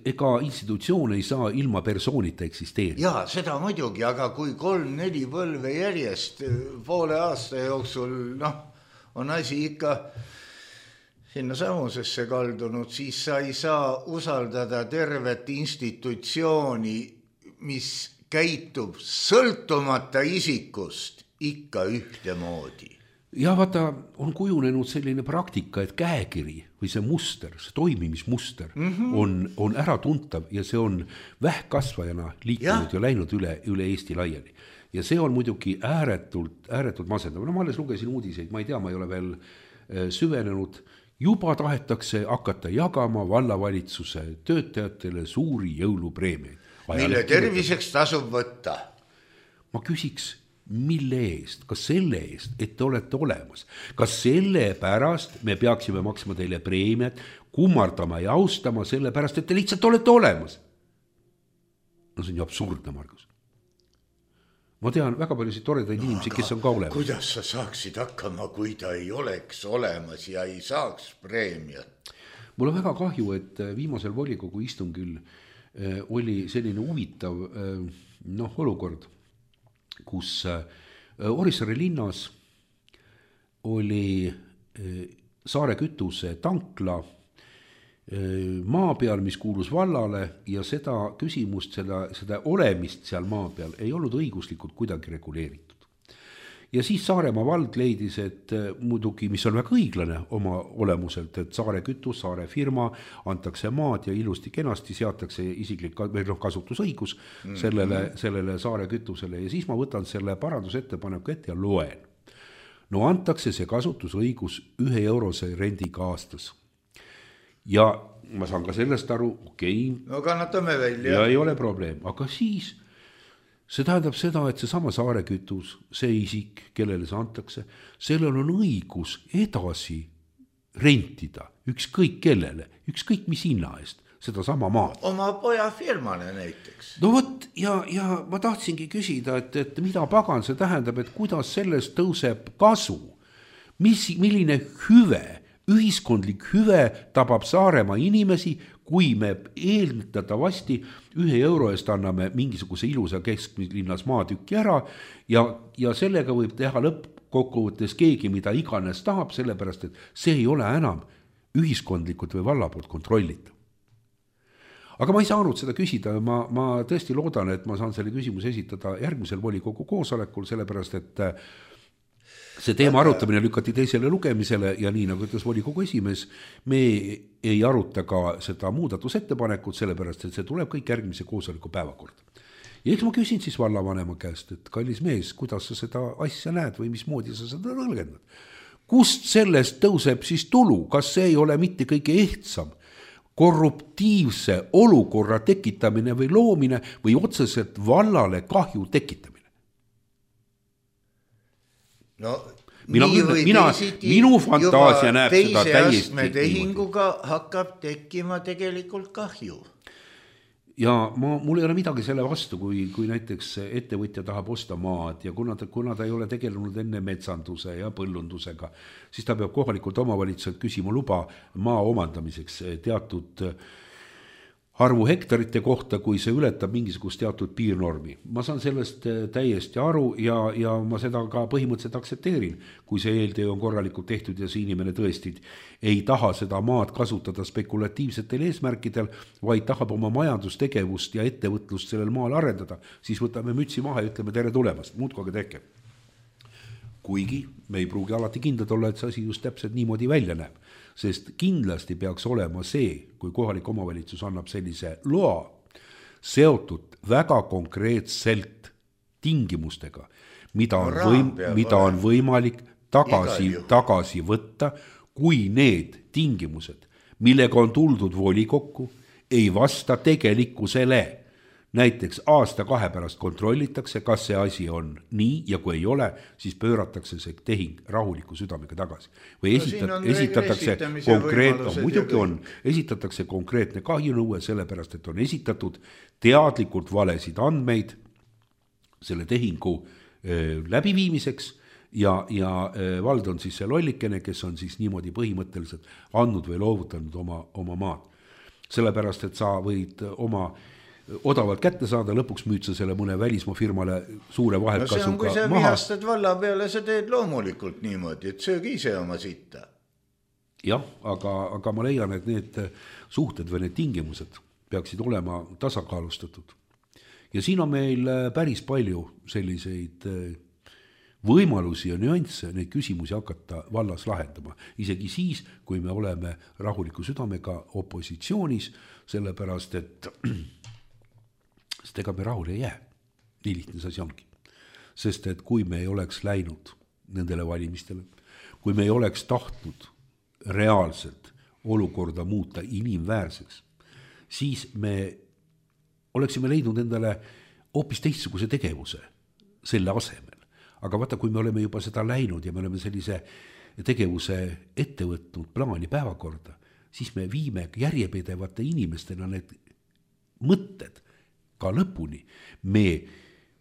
ega institutsioon ei saa ilma persoonita eksisteerida. Jaa, seda muidugi, aga kui kolm-neli põlve järjest poole aasta jooksul, noh, on asi ikka... sinna samusesse kaldunud, siis sa ei saa usaldada tervet institutsiooni, mis käitub sõltumata isikust ikka ühte moodi. Ja vaata, on kujunenud selline praktika, et käekiri või see muster, see toimimismuster mm-hmm. on, on ära tuntav ja see on vähkkasvajana liikunud ja, ja läinud üle, üle Eesti laiali. Ja see on muidugi ääretult, ääretult masendav. No ma alles lugesin uudiseid, ma ei tea, ma ei ole veel süvenenud. Juba tahetakse hakata jagama vallavalitsuse töötajatele suuri jõulupreemiaid. Mille terviseks tasub võtta? Ma küsiks, mille eest? Kas selle eest, et te olete olemas? Kas selle pärast me peaksime maksma teile preemiat, kummardama ja austama selle pärast, et te lihtsalt olete olemas? No see on ju absurdne, Margus. Ma tean väga paljusid toredaid no, inimesi, kes on ka olemas. Kuidas sa saaksid hakkama, kui ta ei oleks olemas ja ei saaks preemiat? Mul on väga kahju, et viimasel volikogu istungil oli selline huvitav noh, olukord, kus Orissaare linnas oli Saare kütuse tankla maa peal, mis kuulus vallale ja seda küsimust, seda, seda olemist seal maa peal ei olnud õiguslikult kuidagi reguleeritud. Ja siis Saaremaa vald leidis, et muidugi, mis on väga õiglane oma olemuselt, et Saare kütus, Saare firma, antakse maad ja ilusti kenasti seatakse isiklik kasutusõigus mm-hmm. sellele, sellele Saare kütusele ja siis ma võtan selle parandusettepaneku ette ja loen. No antakse see kasutusõigus ühe eurose rendiga aastas. Ja ma saan ka sellest aru, okei. Okay, no kannatame välja. Ja ei ole probleem, aga siis see tähendab seda, et see sama Saare kütus, see isik, kellele see antakse, sellel on õigus edasi rentida ükskõik kellele, ükskõik mis hinna eest, seda sama maad. Oma poja firmale näiteks. No võt, ja, ja ma tahtsingi küsida, et, et mida pagan see tähendab, et kuidas sellest tõuseb kasu, mis, milline hüve ühiskondlik hüve tabab Saaremaa inimesi, kui me eeldatavasti ühe euro eest anname mingisuguse ilusa kesklinnas maatükki ära ja, ja sellega võib teha lõppkokkuvõttes keegi, mida iganes tahab, sellepärast et see ei ole enam ühiskondlikult või valla poolt kontrollitav. Aga ma ei saanud seda küsida, ma, ma tõesti loodan, et ma saan selle küsimuse esitada järgmisel volikogu koosolekul, sellepärast et see teema arutamine lükati teisele lugemisele ja nii nagu ütles volikogu esimees, me ei aruta ka seda muudatusettepanekut, sellepärast et see tuleb kõik järgmise koosoleku päevakorda. Ja eks ma küsin siis vallavanema käest, et kallis mees, kuidas sa seda asja näed või mismoodi sa seda tõlgendad? Kust sellest tõuseb siis tulu? Kas see ei ole mitte kõige ehtsam korruptiivse olukorra tekitamine või loomine või otseselt vallale kahju tekitamine? No, mina, mina, minu fantaasia näeb seda täiesti tehinguga hakkab tekkima tegelikult kahju. Ja ma, mul ei ole midagi selle vastu, kui, kui näiteks ettevõtja tahab osta maad ja kuna ta, kuna ta ei ole tegelenud enne metsanduse ja põllundusega, siis ta peab kohalikult omavalitsuselt küsima luba maa omandamiseks teatud arvu hektarite kohta, kui see ületab mingisugust teatud piirnormi. Ma saan sellest täiesti aru ja, ja ma seda ka põhimõtteliselt aktsepteerin, kui see eeltöö on korralikult tehtud ja see inimene tõesti ei taha seda maad kasutada spekulatiivsetel eesmärkidel, vaid tahab oma majandustegevust ja ettevõtlust sellel maal arendada, siis võtame mütsi maha ja ütleme tere tulemast, muudkoga tehke. Kuigi me ei pruugi alati kindlad olla, et see asi just täpselt niimoodi välja näeb. Sest kindlasti peaks olema see, kui kohalik omavalitsus annab sellise loa, seotud väga konkreetselt tingimustega, mida on, võim, mida on võimalik tagasi, tagasi võtta, kui need tingimused, millega on tuldud volikokku, ei vasta tegelikkusele. Näiteks aasta kahe pärast kontrollitakse, kas see asi on nii ja kui ei ole, siis pööratakse see tehing rahuliku südamega tagasi. Või esitat, no esitatakse, konkreet, no, muidugi on, esitatakse konkreetne kahjunõue, sellepärast et on esitatud teadlikult valesid andmeid selle tehingu äh, läbiviimiseks ja, ja äh, vald on siis see lollikene, kes on siis niimoodi põhimõtteliselt andnud või loovutanud oma, oma maad. Sellepärast, et sa võid oma odavalt kätte saada, lõpuks müüd sa selle mõne välismaa firmale suure vahelkasuga maha. No see on, kui sa vihastad valla peale, sa teed loomulikult niimoodi, et söög ise oma sitta. Jah, aga, aga ma leian, et need suhted või need tingimused peaksid olema tasakaalustatud. Ja siin on meil päris palju selliseid võimalusi ja nüansse neid küsimusi hakata vallas lahendama. Isegi siis, kui me oleme rahuliku südamega opositsioonis, sellepärast, et sest ega me rahule ei jää. Nii lihtne see asi ongi. Sest et kui me ei oleks läinud nendele valimistele, kui me ei oleks tahtnud reaalselt olukorda muuta inimväärseks, siis me oleksime leidnud endale hoopis teistsuguse tegevuse selle asemel. Aga vaata, kui me oleme juba seda läinud ja me oleme sellise tegevuse ette võtnud plaani päevakorda, siis me viime järjepidevate inimestena need mõtted ka lõpuni. Me,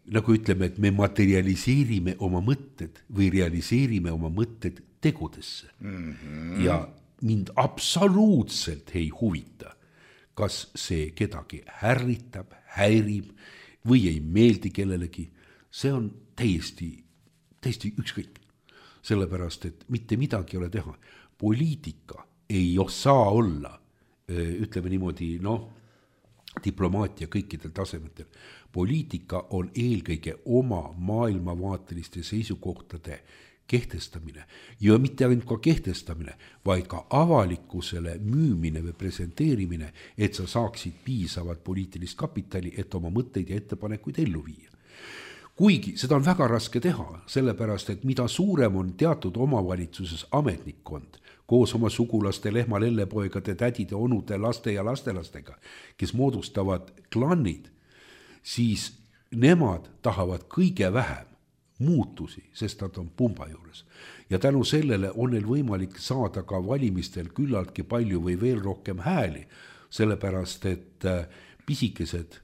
nagu ütleme, et me materialiseerime oma mõtted või realiseerime oma mõtted tegudesse. Mm-hmm. Ja mind absoluutselt ei huvita, kas see kedagi härritab, häirib või ei meeldi kellelegi. See on täiesti, täiesti ükskõik. Sellepärast, et mitte midagi ei ole teha. Poliitika ei saa olla, ütleme niimoodi, noh, diplomaatia kõikidel tasemetel. Poliitika on eelkõige oma maailmavaateliste seisukohtade kehtestamine ja mitte ainult ka kehtestamine, vaid ka avalikkusele müümine või presenteerimine, et sa saaksid piisavat poliitilist kapitali, et oma mõtteid ja ettepanekuid ellu viia. Kuigi seda on väga raske teha, sellepärast, et mida suurem on teatud omavalitsuses ametnikkond, koos oma sugulaste, lehma, lellepoegade, tädide, onude, laste ja lastelastega, kes moodustavad klannid, siis nemad tahavad kõige vähem muutusi, sest nad on pumba juures. Ja tänu sellele on neil võimalik saada ka valimistel küllaltki palju või veel rohkem hääli, sellepärast et pisikesed,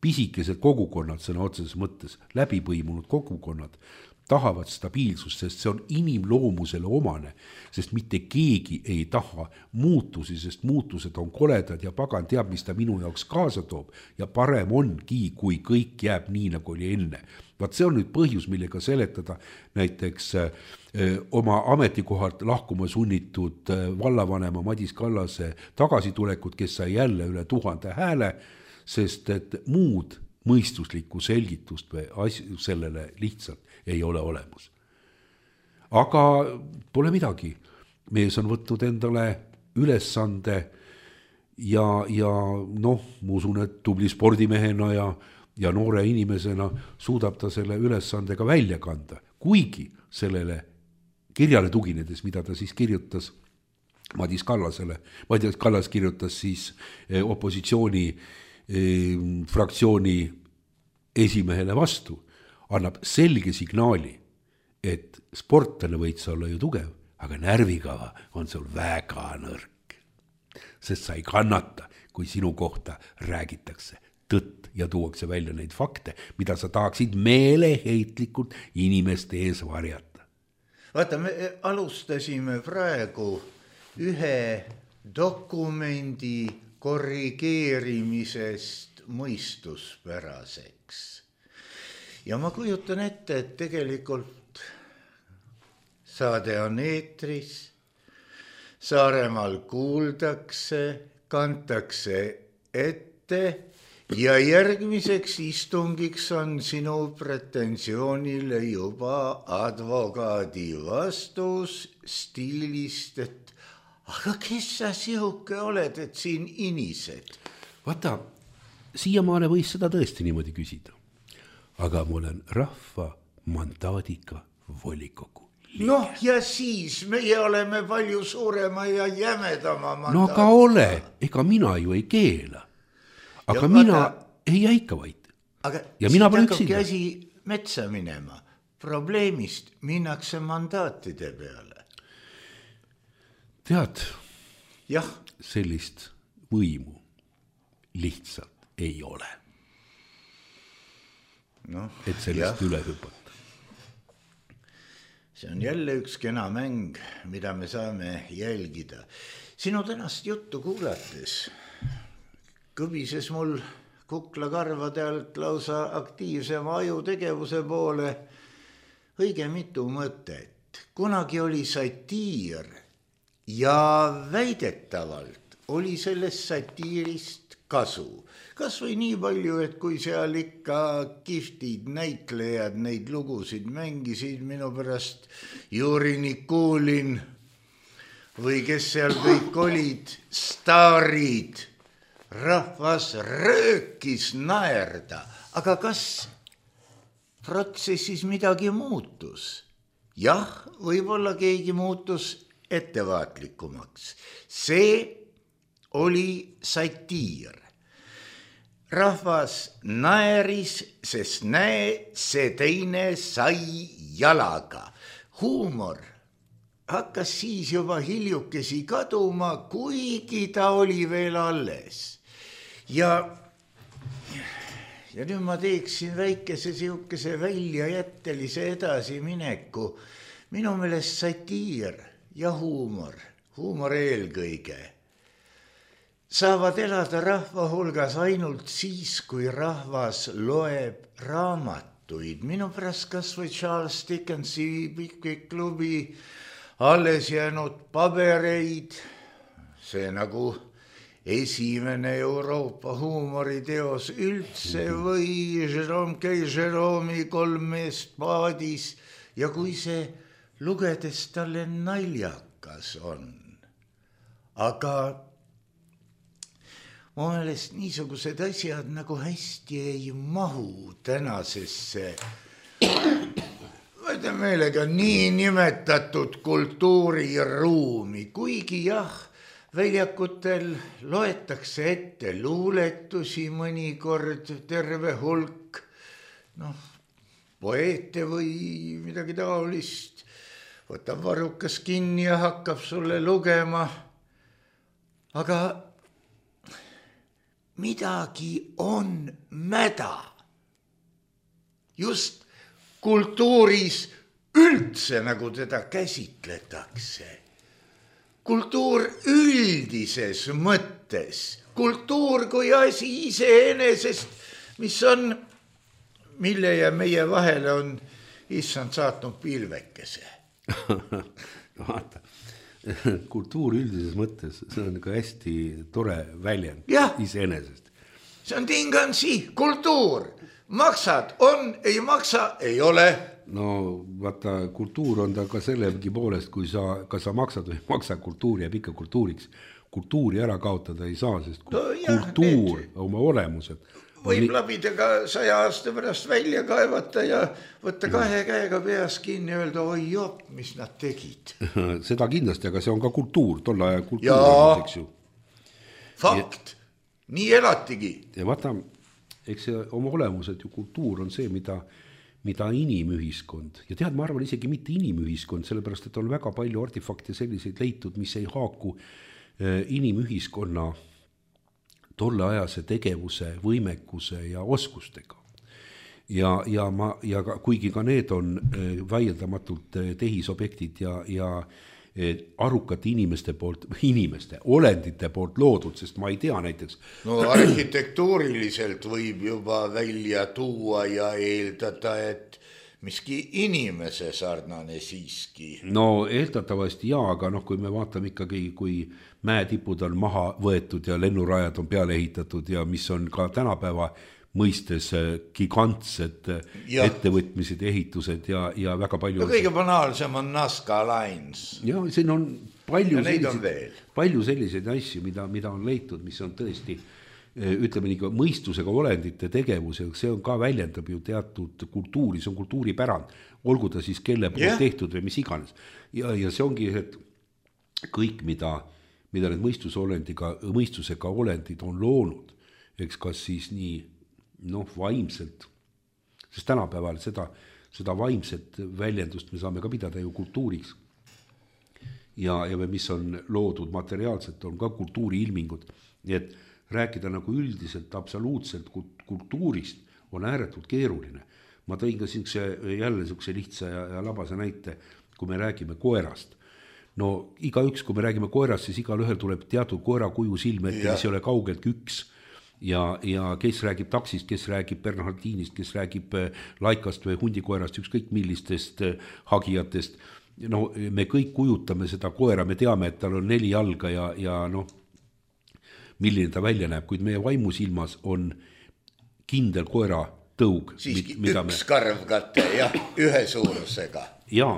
pisikesed kogukonnad, sõna otseses mõttes, läbipõimunud kogukonnad, tahavad stabiilsust, sest see on inimloomusele omane, sest mitte keegi ei taha muutusi, sest muutused on koledad ja pagan teab, mis ta minu jaoks kaasa toob ja parem ongi, kui kõik jääb nii, nagu oli enne. Vaat see on nüüd põhjus, millega seletada näiteks öö, oma ametikohalt lahkuma sunnitud vallavanema Madis Kallase tagasitulekut, kes sai jälle üle tuhande hääle, sest et muud mõistuslikku selgitust või asju sellele lihtsalt ei ole olemas. Aga pole midagi. Mees on võtnud endale ülesande ja, ja noh, ma usun, et tubli spordimehena ja, ja noore inimesena suudab ta selle ülesandega välja kanda. Kuigi sellele kirjale tuginedes, mida ta siis kirjutas Madis Kallasele, Madis Kallas kirjutas siis opositsiooni fraktsiooni esimehele vastu, annab selge signaali, et sportlane võid sa olla ju tugev, aga närvikava on sul väga nõrk. Sest sa ei kannata, kui sinu kohta räägitakse tõtt ja tuuakse välja neid fakte, mida sa tahaksid meeleheitlikult inimeste ees varjata. Vaata, me alustasime praegu ühe dokumendi korrigeerimisest mõistuspäraseks. Ja ma kujutan ette, et tegelikult saade on eetris, Saaremaal kuuldakse, kantakse ette ja järgmiseks istungiks on sinu pretensioonile juba advokaadi vastus stiilist, et aga kes sa sihuke oled, et siin inised? Vaata, siiamaale võis seda tõesti niimoodi küsida. Aga ma olen rahva mandaadiga volikogu liige. Noh, ja siis meie oleme palju suurema ja jämedama mandaadiga. No aga ole, ega mina ju ei keela. Aga ja mina vaata, ei jäika vaid. Aga ja mina pole üksinda. Aga käsi metsa minema. Probleemist minnakse mandaatide peale. Tead, jah. Sellist võimu lihtsalt ei ole. No, et sellest jah. Üle hüpata. See on jälle üks kena mäng, mida me saame jälgida. Sinu tänast juttu kuulates kõbises mul kuklakarvade alt lausa aktiivsema ajutegevuse poole õige mitu mõtet. Kunagi oli satiir ja väidetavalt oli sellest satiirist kasu. Kas või nii palju, et kui seal ikka kiftid näitlejad neid lugusid mängisid, minu pärast Juri Nikulin või kes seal kõik olid, staarid, rahvas röökis naerda. Aga kas protsessis midagi muutus? Jah, võib-olla keegi muutus ettevaatlikumaks. See oli satiir. Rahvas naeris, sest näe, see teine sai jalaga. Huumor hakkas siis juba hiljukesi kaduma, kuigi ta oli veel alles. Ja, ja nüüd ma teeksin väikese siukese väljajättelise edasimineku. Minu meelest satiir ja huumor, huumor eelkõige, saavad elada rahva hulgas ainult siis, kui rahvas loeb raamatuid. Minu pärast kas või Charles Dickensi Pickwick klubi alles jäänud pabereid, see nagu esimene Euroopa huumoriteos üldse või Jerome K. Jerome'i Kolm meest paadis ja kui see lugedes talle naljakas on. Aga mu meelest niisugused asjad nagu hästi ei mahu tänasesse võite meelega nii nimetatud kultuuriruumi, kuigi jah, väljakutel loetakse ette luuletusi mõnikord terve hulk, noh, poeete või midagi taolist, võtab varrukas kinni ja hakkab sulle lugema, aga midagi on mäda. Just kultuuris üldse nagu teda käsitletakse. Kultuur üldises mõttes, kultuur kui asi iseenesest, mis on, mille ja meie vahele on issand saatnud pilvekese. Vaata, kultuur üldises mõttes, see on ka hästi tore väljend iseenesest. See on tingansi, kultuur, maksad, on, ei maksa, ei ole. No vaata, kultuur on ta ka sellegi poolest, kui sa, ka sa maksad või maksa kultuuri jääb ikka kultuuriks. Kultuuri ära kaotada ei saa, sest no, jah, kultuur need... oma olemused. Võib labidega saja aasta pärast välja kaevata ja võtta kahe käega peas kinni ja öelda, oi jop, mis nad tegid. Seda kindlasti, aga see on ka kultuur, tolle aja kultuur. Jaa, fakt, ja... nii elatigi. Ja vaata, eks see oma olemused ju kultuur on see, mida... mida inimühiskond, ja tead, ma arvan isegi mitte inimühiskond, sellepärast, et on väga palju artefakte selliseid leitud, mis ei haaku inimühiskonna tolleajase tegevuse, võimekuse ja oskustega. Ja, ja, ma, ja ka, kuigi ka need on vaieldamatult tehisobjektid ja, ja arukate inimeste poolt, inimeste, olendite poolt loodud, sest ma ei tea näiteks. No arhitektuuriliselt võib juba välja tuua ja eeldada, et miski inimese sarnane siiski. No eeldatavasti jaa, aga noh, kui me vaatame ikkagi, kui mäetipud on maha võetud ja lennurajad on peale ehitatud ja mis on ka tänapäeva mõistes gigantsed ja. ettevõtmised, ehitused ja, ja väga palju... No kõige banaalsem on Nazca Lines. Ja siin on palju, selliseid, on palju selliseid asju, mida, mida on leitud, mis on tõesti, ütleme nii, mõistusega olendite tegevus ja see on ka väljendab ju teatud kultuuri, see on kultuuripärand, olgu ta siis kelle poolt yeah. tehtud või mis iganes. Ja, ja see ongi, et kõik, mida, mida need mõistusolendiga, mõistusega olendid on loonud, eks kas siis nii noh, vaimselt, sest tänapäeval seda, seda vaimset väljendust me saame ka pidada ju kultuuriks. Ja, ja mis on loodud materiaalselt, on ka kultuuri ilmingud. Nii et rääkida nagu üldiselt, absoluutselt kultuurist on ääretult keeruline. Ma tõin ka siin jälle sükse lihtsa ja, ja labase näite, kui me räägime koerast. No igaüks, kui me räägime koerast, siis igal ühel tuleb teatud koera kuju silme, et mis ei ole kaugeltki üks. Ja, ja kes räägib taksist, kes räägib Bernhardinist, kes räägib laikast või hundikoerast, ükskõik millistest hagijatest. No, me kõik kujutame seda koera, me teame, et tal on neli jalga ja, ja noh, milline ta välja näeb, kuid meie vaimusilmas on kindel koera tõug. Siiski mida üks me... karvkate, jah, ühe suurusega. Jaa,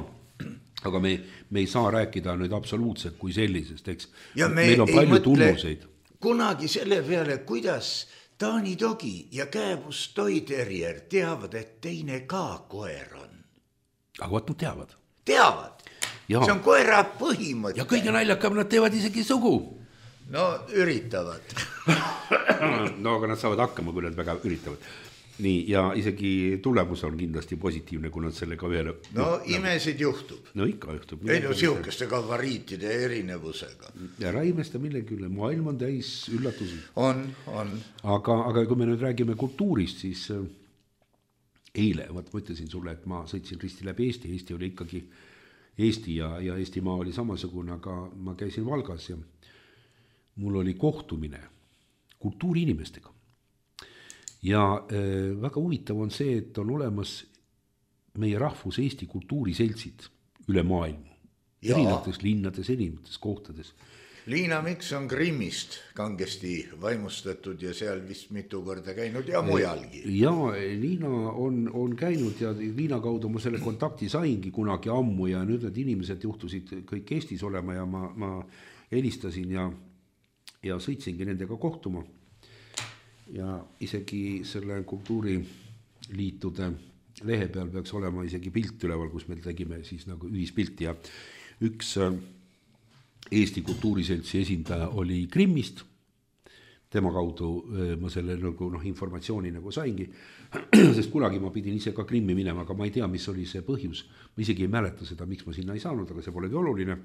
aga me, me ei saa rääkida nüüd absoluutselt kui sellisest, eks. Ja me meil on palju mõtle... tunnuseid. Kunagi selle peale, kuidas Taani dogi ja kääbus Toy Terrier teavad, et teine ka koer on. Aga vaat nad teavad. Teavad. Ja. See on koera põhimõte. Ja kõige naljakam, nad teevad isegi sugu. No üritavad. No aga nad saavad hakkama, kui nad väga üritavad. Nii, ja isegi tulemus on kindlasti positiivne, kui nad sellega ühele... No, no imesid juhtub. No ikka juhtub. Ei no siukeste gabariitide erinevusega. Ja raimesta millegi üle, maailm on täis üllatusi. On, on. Aga, aga kui me nüüd räägime kultuurist, siis eile, vaat ma ütlesin sulle, et ma sõitsin risti läbi Eesti. Eesti oli ikkagi Eesti ja, ja Eestimaa oli samasugune, aga ma käisin Valgas ja mul oli kohtumine kultuuriinimestega. Ja äh, väga huvitav on see, et on olemas meie rahvus Eesti kultuuriseltsid üle maailma. Ja. Erinevates linnades, erinevates kohtades. Liina Miks on Grimmist kangesti vaimustatud ja seal vist mitu korda käinud ja mujalgi. Ja Liina on, on käinud ja Liina kaudu ma selle kontakti saingi kunagi ammu ja nüüd need inimesed juhtusid kõik Eestis olema ja ma, ma helistasin ja, ja sõitsingi nendega kohtuma. Ja isegi selle kultuuriliitude lehe peal peaks olema isegi pilt üleval, kus me tegime siis nagu ühispilti ja üks Eesti kultuuriseltsi esindaja oli Grimmist. Tema kaudu ma selle nagu, noh, informatsiooni nagu saingi, sest kunagi ma pidin ise ka Grimmi minema, aga ma ei tea, mis oli see põhjus. Ma isegi ei mäleta seda, miks ma sinna ei saanud, aga see polegi oluline.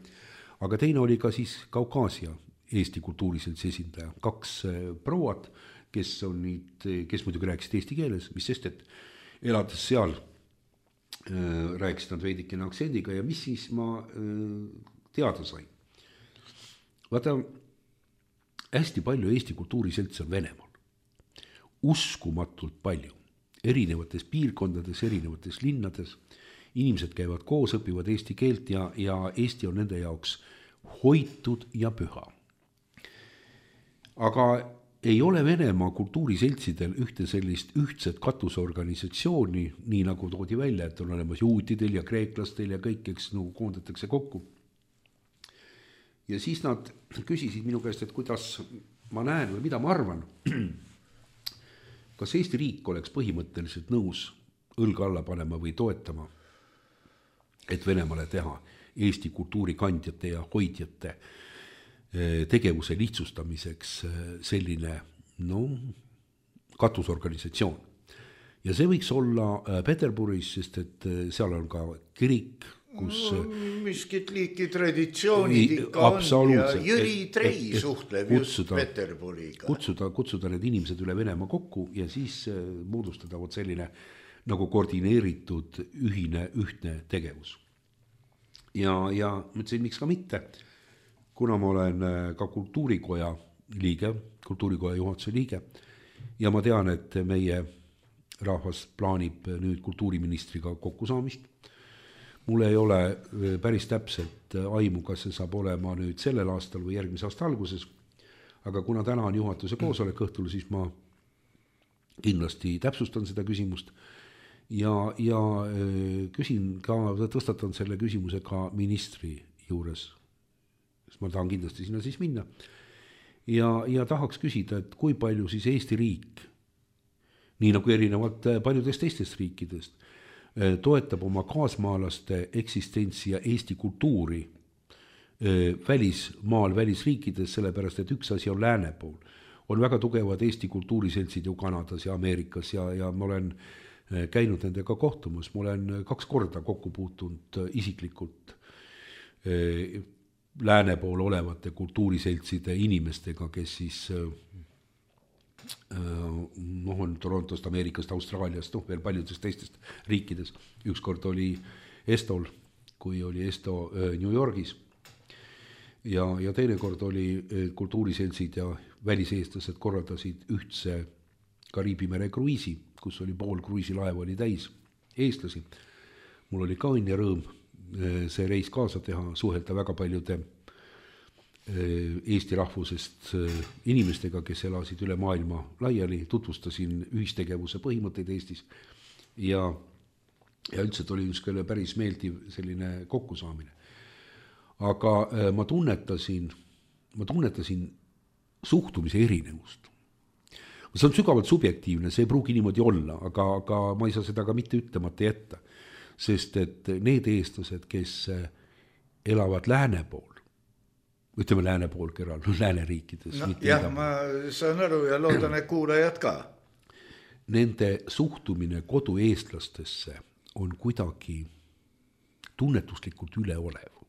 Aga teine oli ka siis Kaukaasia Eesti kultuuriseltsi esindaja. Kaks prouat, kes on nüüd, kes muidugi rääkisid eesti keeles, mis sest, et elades seal rääkisid nad veidikene aktsendiga ja mis siis ma teada sain. Vaata, hästi palju Eesti kultuuriseltsi on Venemaal. Uskumatult palju. Erinevates piirkondades, erinevates linnades. Inimesed käivad koos, õpivad eesti keelt ja, ja Eesti on nende jaoks hoitud ja püha. Aga ei ole Venemaa kultuuriseltsidel ühte sellist ühtset katusorganisatsiooni, nii nagu toodi välja, et on olemas juutidel ja kreeklastel ja kõik, eks nagu koondatakse kokku. Ja siis nad küsisid minu käest, et kuidas ma näen või mida ma arvan, kas Eesti riik oleks põhimõtteliselt nõus õlga alla panema või toetama, et Venemaale teha Eesti kultuurikandjate ja hoidjate tegevuse lihtsustamiseks selline no, katusorganisatsioon. Ja see võiks olla Peterburis, sest et seal on ka kirik, kus no, miskit liiki traditsioonid ikka on ja Jüri Trei et, et, suhtleb kutsuda, just Peterburiga. Kutsuda, kutsuda need inimesed üle Venemaa kokku ja siis moodustada vot selline nagu koordineeritud ühine, ühtne tegevus. Ja, ja mõtlesin, miks ka mitte, kuna ma olen ka kultuurikoja liige, kultuurikoja juhatuse liige ja ma tean, et meie rahvas plaanib nüüd kultuuriministriga kokkusaamist. Mul ei ole päris täpselt aimu, kas see saab olema nüüd sellel aastal või järgmise aasta alguses, aga kuna täna on juhatuse koosolek õhtul, siis ma kindlasti täpsustan seda küsimust ja, ja küsin ka, tõstatan selle küsimuse ka ministri juures. Ma tahan kindlasti sinna siis minna ja, ja tahaks küsida, et kui palju siis Eesti riik, nii nagu erinevalt paljudest teistest riikidest, toetab oma kaasmaalaste eksistentsi ja Eesti kultuuri välismaal, välisriikides, sellepärast, et üks asi on lääne pool. On väga tugevad Eesti kultuuriseltsid ju Kanadas ja Ameerikas ja, ja ma olen käinud nendega kohtumas, ma olen kaks korda kokku puutunud isiklikult lääne pool olevate kultuuriseltside inimestega, kes siis noh, on Torontost, Ameerikast, Austraaliast, noh, veel paljudest teistest riikides. Ükskord oli Estol, kui oli Esto New Yorgis ja, ja teine kord oli kultuuriseltsid ja väliseestlased korraldasid ühtse Kariibi mere kruiisi, kus oli pool kruiisilaev oli täis eestlasi. Mul oli ka õnn ja rõõm see reis kaasa teha, suhelda väga paljude Eesti rahvusest inimestega, kes elasid üle maailma laiali, tutvustasin ühistegevuse põhimõtteid Eestis ja, ja üldse oli ükskõle päris meeldiv selline kokkusaamine. Aga ma tunnetasin, ma tunnetasin suhtumise erinevust. See on sügavalt subjektiivne, see ei pruugi niimoodi olla, aga, aga ma ei saa seda ka mitte ütlemata jätta. Sest et need eestlased, kes elavad lääne pool, ütleme lääne pool kõrval, lääne riikides. No, jah, ma saan aru ja loodan, et kuulajad ka. Nende suhtumine kodu eestlastesse on kuidagi tunnetuslikult üleolev.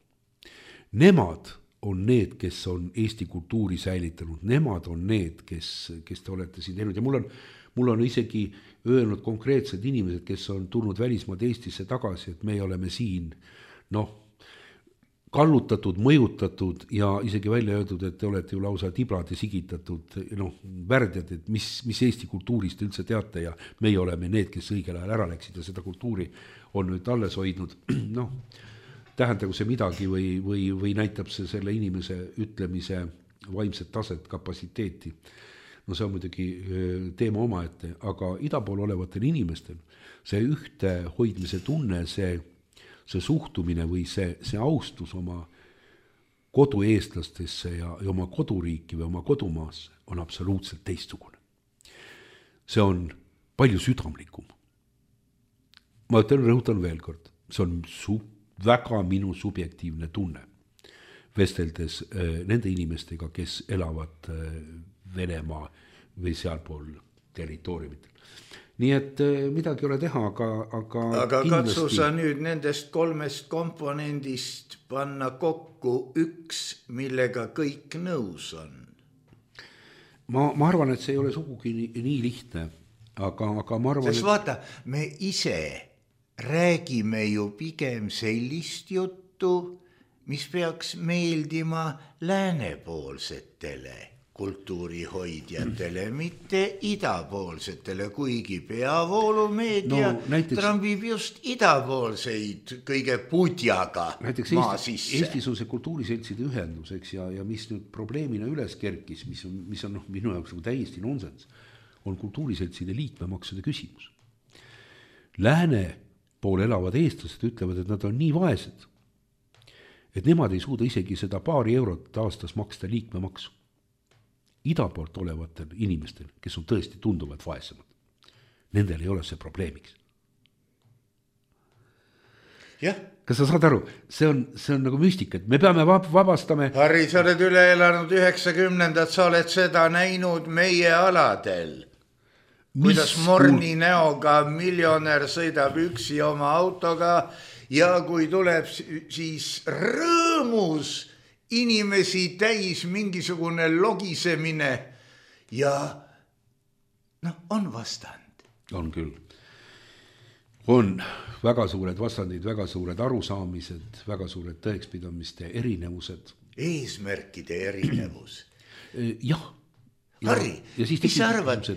Nemad on need, kes on Eesti kultuuri säilitanud, nemad on need, kes, kes te olete siin teinud ja mul on Mul on isegi öelnud konkreetsed inimesed, kes on tulnud välismaad Eestisse tagasi, et me oleme siin noh, kallutatud, mõjutatud ja isegi välja öeldud, et te olete ju lausa tiblad ja sigitatud noh, värdjad, et mis, mis Eesti kultuurist üldse teate ja meie oleme need, kes õigel ajal ära läksid ja seda kultuuri on nüüd alles hoidnud. Noh, tähendagu see midagi või, või, või näitab see selle inimese ütlemise vaimset taset, kapasiteeti. No see on muidugi teema omaette, aga ida pool olevatel inimestel see ühte hoidmise tunne, see, see suhtumine või see, see austus oma kodu eestlastesse ja, ja oma koduriiki või oma kodumaasse on absoluutselt teistsugune. See on palju südamlikum. Ma ütlen, rõhutan veel kord, see on su, väga minu subjektiivne tunne vesteldes äh, nende inimestega, kes elavad äh, Venemaa või sealpool territooriumitel. Nii et midagi ei ole teha, aga, aga, aga kindlasti... katsu sa nüüd nendest kolmest komponendist panna kokku üks, millega kõik nõus on. Ma, ma arvan, et see ei ole sugugi nii, nii lihtne, aga, aga ma arvan... Sest vaata, me ise räägime ju pigem sellist juttu, mis peaks meeldima läänepoolsetele kultuurihoidjatele, mitte idapoolsetele, kuigi peavoolumeedia no, näiteks, trambib just idapoolseid kõige pudjaga näiteks maa Eesti, sisse. Eestis on see kultuuriseltside ühendus, eks, ja, ja mis nüüd probleemina üles kerkis, mis on, mis on noh, minu jaoks nagu täiesti nonsens, on kultuuriseltside liikmemaksude küsimus. Lääne pool elavad eestlased ütlevad, et nad on nii vaesed, et nemad ei suuda isegi seda paari eurot aastas maksta liikmemaksu. Ida poolt olevatel inimestel, kes on tõesti tunduvad vaesemad, nendel ei ole see probleemiks. Jah. Kas sa saad aru, see on, see on nagu müstika, et me peame vabastame. Harri, sa oled üle elanud üheksakümnendad, sa oled seda näinud meie aladel. Kuidas Morni näoga miljonär sõidab üksi oma autoga ja kui tuleb siis rõõmus inimesi täis mingisugune logisemine ja noh, on vastand. On küll. On väga suured vastandid, väga suured arusaamised, väga suured tõekspidamiste erinevused. Eesmärkide erinevus. Jah. Harri, mis sa arvad,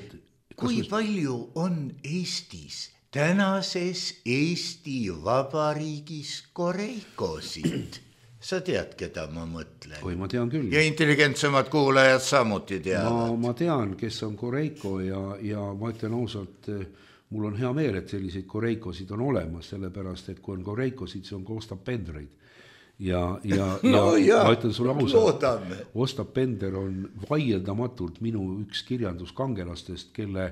kui palju on Eestis, tänases Eesti Vabariigis koreikosid? Sa tead, keda ma mõtlen? Oi, ma tean küll. Ja intelligentsemad kuulajad samuti teavad. Ma, ma tean, kes on koreiko ja, ja ma ütlen ausalt, mul on hea meel, et selliseid koreikosid on olemas, sellepärast, et kui on koreikosid, see on ka Ostap Pendreid. Ja, ja, no, ja ja, ma ütlen sulle ausalt, loodame. Ostap Pender on vaieldamatult minu üks kirjanduskangelastest, kelle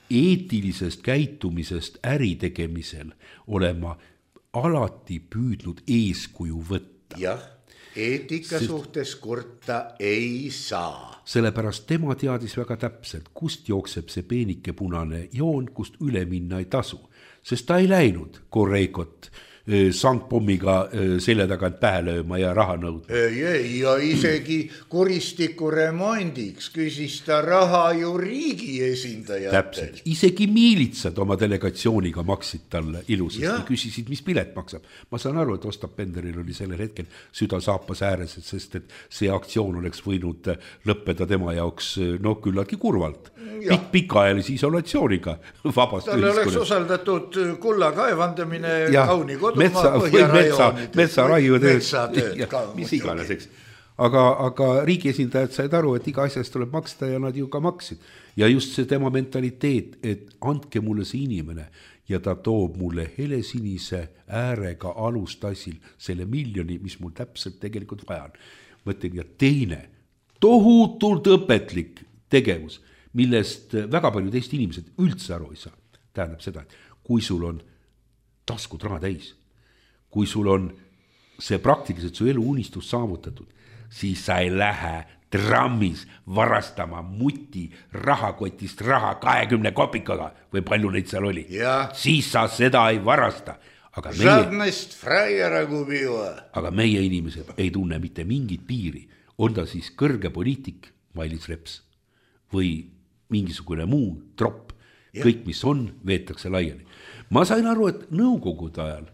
eetilisest käitumisest äritegemisel olema alati püüdnud eeskuju võtta. Jah, eetika Sest, suhtes kurta ei saa. Sellepärast tema teadis väga täpselt, kust jookseb see peenike punane joon, kust üle minna ei tasu. Sest ta ei läinud koreikot sangpommiga selja tagant pähe lööma ja raha nõudma. Ei, ei, ja isegi kuristiku remondiks küsis ta raha ju riigi esindajatelt. Täpselt, isegi miilitsad oma delegatsiooniga maksid talle ilusasti ja küsisid, mis pilet maksab. Ma saan aru, et Ostap Penderil oli sellel hetkel süda saapas ääres, sest et see aktsioon oleks võinud lõppeda tema jaoks no küllaltki kurvalt. Pik, pikaajalise isolatsiooniga vabast talle oleks usaldatud kulla kaevandamine ja kauni kodumaa põhjarajoonid. Metsa raiutööd, mis iganeseks. Aga, aga riigi esindajad said aru, et iga asjast tuleb maksta ja nad ju ka maksid. Ja just see tema mentaliteet, et andke mulle see inimene ja ta toob mulle helesinise äärega alustassil selle miljoni, mis mul täpselt tegelikult vaja on. Mõtlen, ja teine tohutult õpetlik tegevus, millest väga paljud Eesti inimesed üldse aru ei saa. Tähendab seda, et kui sul on taskud raha täis, kui sul on see praktiliselt su elu unistus saavutatud, siis sa ei lähe trammis varastama muti rahakotist raha kahekümne kopikaga või palju neid seal oli. Ja. Siis sa seda ei varasta. Aga meie, aga meie inimesed ei tunne mitte mingit piiri. On ta siis kõrge poliitik, Mailis Reps, või mingisugune muu tropp. Ja. Kõik, mis on, veetakse laiali. Ma sain aru, et nõukogude ajal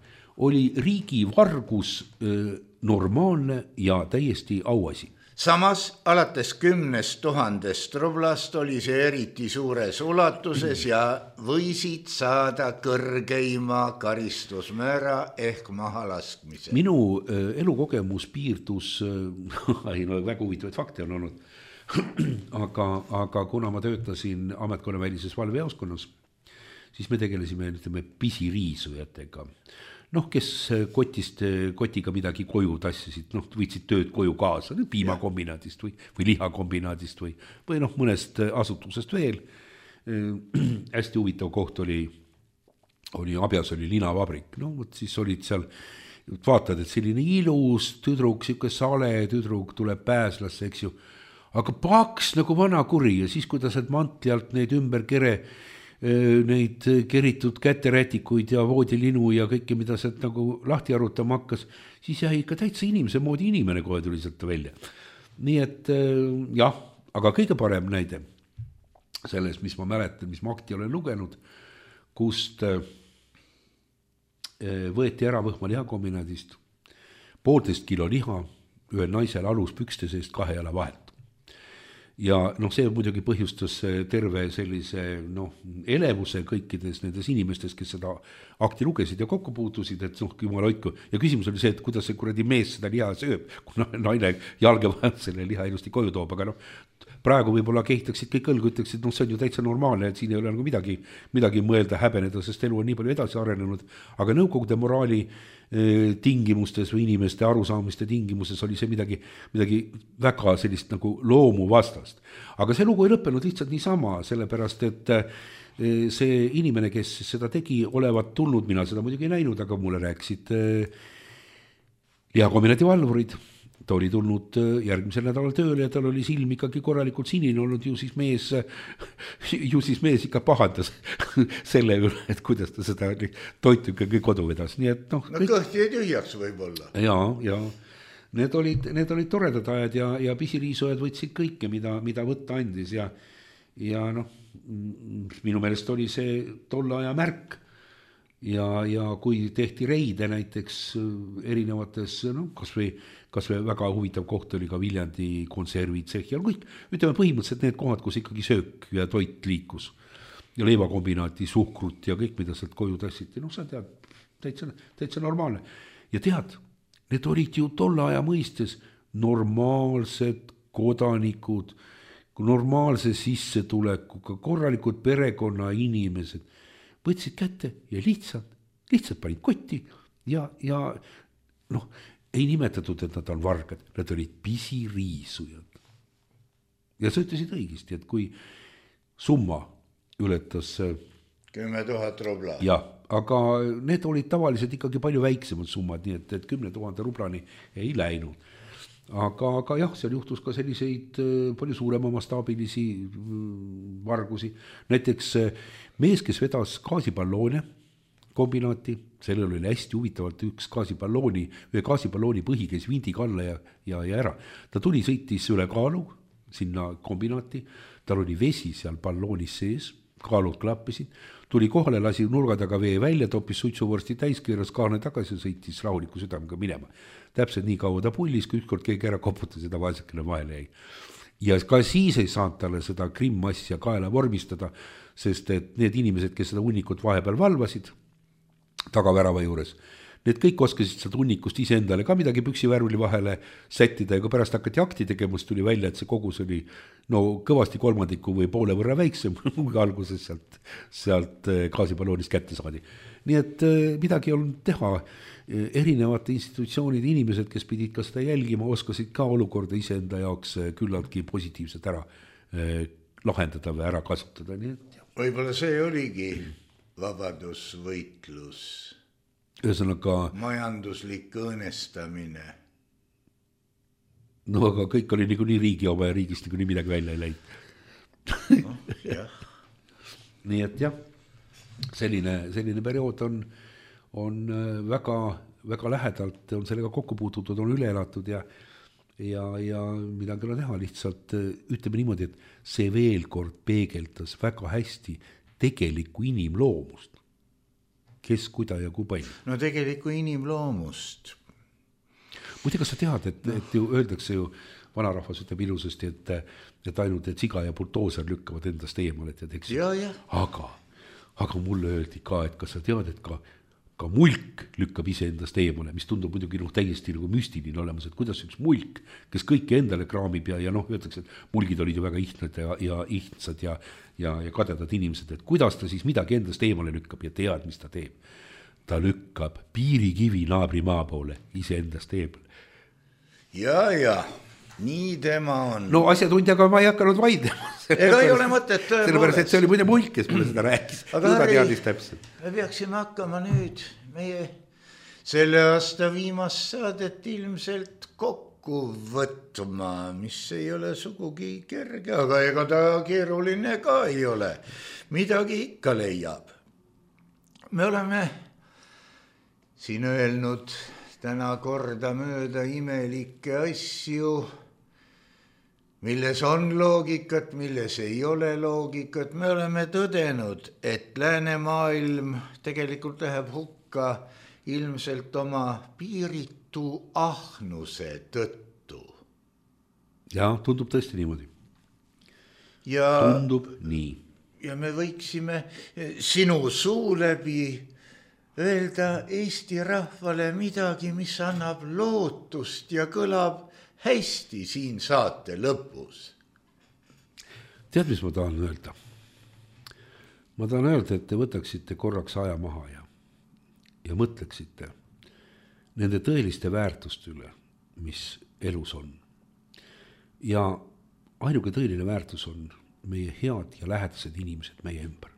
oli riigi vargus äh, normaalne ja täiesti auasi. Samas alates kümnest tuhandest rublast oli see eriti suures ulatuses ja võisid saada kõrgeima karistusmäära ehk mahalaskmise. Minu äh, elukogemus piirdus, äh, ei no väga huvitavaid fakte on olnud, aga, aga kuna ma töötasin ametkonnavälises valvejaoskonnas, siis me tegelesime ütleme, pisiriisujatega. Noh, kes kotist, kotiga midagi koju tassisid, noh, võtsid tööd koju kaasa, piimakombinaadist või, või lihakombinaadist või, või noh, mõnest asutusest veel. Hästi huvitav koht oli, oli Abjas oli linavabrik, no võt siis olid seal, vaatad, et selline ilus tüdruk, siuke sale tüdruk tuleb pääslasse, eks ju, aga paks nagu vana kuri ja siis, kui ta sealt mantli alt neid ümber kere, neid keritud käterätikuid ja voodilinu ja kõike, mida sealt nagu lahti arutama hakkas, siis jäi ikka täitsa inimese moodi inimene kohe tuli sealt välja. Nii et jah, aga kõige parem näide selles, mis ma mäletan, mis ma akti olen lugenud, kust võeti ära Võhma lihakombinaadist poolteist kilo liha ühel naisel aluspükste seest kahe jala vahelt. Ja noh, see muidugi põhjustas terve sellise noh, elevuse kõikides nendes inimestes, kes seda akti lugesid ja kokku puutusid, et noh, jumal hoidku. Ja küsimus oli see, et kuidas see kuradi mees seda liha sööb, kuna naine jalge vahelt selle liha ilusti koju toob, aga noh, praegu võib-olla kehtaksid kõik õlgu, ütleksid, noh, see on ju täitsa normaalne, et siin ei ole nagu midagi, midagi mõelda, häbeneda, sest elu on nii palju edasi arenenud, aga nõukogude moraali tingimustes või inimeste arusaamiste tingimustes oli see midagi, midagi väga sellist nagu loomu vastast. Aga see lugu ei lõppenud lihtsalt niisama, sellepärast et see inimene, kes seda tegi, olevat tulnud, mina seda muidugi ei näinud, aga mulle rääkisid lihakombinaati valvurid. Ta oli tulnud järgmisel nädalal tööle ja tal oli silm ikkagi korralikult sinine olnud, ju siis mees, ju siis mees ikka pahandas selle üle, et kuidas ta seda toitu ikkagi kodu vedas. Nii et noh, no kõhti ei tühjaks võib-olla. Ja, ja need olid, need olid toredad ajad ja, ja pisiriisujad võtsid kõike, mida, mida võtta andis ja, ja noh, minu meelest oli see tolle aja märk. Ja, ja kui tehti reide näiteks erinevates, noh, kas või, kas või väga huvitav koht oli ka Viljandi konservid, Tsehhi, kõik, ütleme põhimõtteliselt need kohad, kus ikkagi söök ja toit liikus ja leivakombinaati, suhkrut ja kõik, mida sealt koju tassiti, noh, sa tead, täitsa, täitsa normaalne. Ja tead, need olid ju tolle aja mõistes normaalsed kodanikud, normaalse sissetulekuga, korralikud perekonna inimesed, võtsid kätte ja lihtsalt, lihtsalt panid kotti ja, ja noh, ei nimetatud, et nad on vargad, nad olid pisiriisujad. Ja sa ütlesid õigesti, et kui summa ületas kümme tuhat rubla. Ja, aga need olid tavaliselt ikkagi palju väiksemad summad, nii et, et kümne tuhande rublani ei läinud. Aga, aga jah, seal juhtus ka selliseid palju suurema mastaabilisi vargusi. Näiteks mees, kes vedas gaasipalloone kombinaati, sellel oli hästi huvitavalt üks gaasipallooni, ühe gaasipallooni põhi käis vindiga alla ja, ja, ja ära. Ta tuli, sõitis üle kaalu sinna kombinaati, tal oli vesi seal palloonis sees, kaalud klappisid, tuli kohale, lasi nurga taga vee välja, toppis suitsuvorsti täis, keeras kaane tagasi ja sõitis rahuliku südamega minema. Täpselt nii kaua ta pullis, kui ükskord keegi ära koputas ja ta vaesekene vahele jäi. Ja ka siis ei saanud talle seda krimmassi ja kaela vormistada, sest et need inimesed, kes seda hunnikut vahepeal valvasid tagavärava juures, need kõik oskasid seda hunnikust ise endale ka midagi püksivärvli vahele sättida ja kui pärast hakati akti tegemast, tuli välja, et see kogus oli no kõvasti kolmandiku või poole võrra väiksem, kui alguses sealt, sealt gaasipalloonist kätte saadi. Nii et midagi on teha, erinevate institutsioonide inimesed, kes pidid ka seda jälgima, oskasid ka olukorda iseenda jaoks küllaltki positiivselt ära lahendada või ära kasutada. Nii et, võib-olla see oligi vabadusvõitlus. Ühesõnaga, majanduslik õõnestamine. No aga kõik oli nagu nii riigi oma ja riigist nagu nii midagi välja ei läinud. No, jah. Nii et jah, selline, selline periood on, on väga, väga lähedalt, on sellega kokku puututud, on üle elatud ja, ja, ja midagi on teha lihtsalt, ütleme niimoodi, et see veel kord peegeldas väga hästi tegelikku inimloomust. Kes, kuida ja kui palju? No tegelikku inimloomust. Muide, kas sa tead, et, et ju öeldakse ju, vanarahvas ütleb ilusasti, et, et ainult et siga ja bultooser lükkavad endast eemale, et eks. Ja, ja. Aga, aga mulle öeldi ka, et kas sa tead, et ka, ka mulk lükkab ise endast eemale, mis tundub muidugi noh, täiesti nagu müstiline olemas, et kuidas üks mulk, kes kõike endale kraamib ja, ja noh, öeldakse, et mulgid olid ju väga ihtnad ja, ja ihtsad ja, ja, ja kadedad inimesed, et kuidas ta siis midagi endast eemale lükkab ja tead, mis ta teeb. Ta lükkab piirikivi naabri maa poole ise endast eemale. Ja, ja, nii tema on. No asjatundjaga ma ei hakanud vaidlema. Ega ei ole mõtet. Sellepärast, et see oli muide mulk, kes mulle seda rääkis. Aga Harri, me peaksime hakkama nüüd meie selle aasta viimast saadet ilmselt kokku võtma, mis ei ole sugugi kerge, aga ega ta keeruline ka ei ole. Midagi ikka leiab. Me oleme siin öelnud täna korda mööda imelikke asju, milles on loogikat, milles ei ole loogikat. Me oleme tõdenud, et läänemaailm tegelikult läheb hukka ilmselt oma piiritu ahnuse tõttu. Ja tundub tõesti niimoodi. Ja, tundub nii. Ja me võiksime sinu suu läbi öelda Eesti rahvale midagi, mis annab lootust ja kõlab hästi siin saate lõpus. Tead, mis ma tahan öelda? Ma tahan öelda, et te võtaksite korraks aja maha ja, ja mõtleksite nende tõeliste väärtuste üle, mis elus on. Ja ainuke tõeline väärtus on meie head ja lähedased inimesed meie ümber.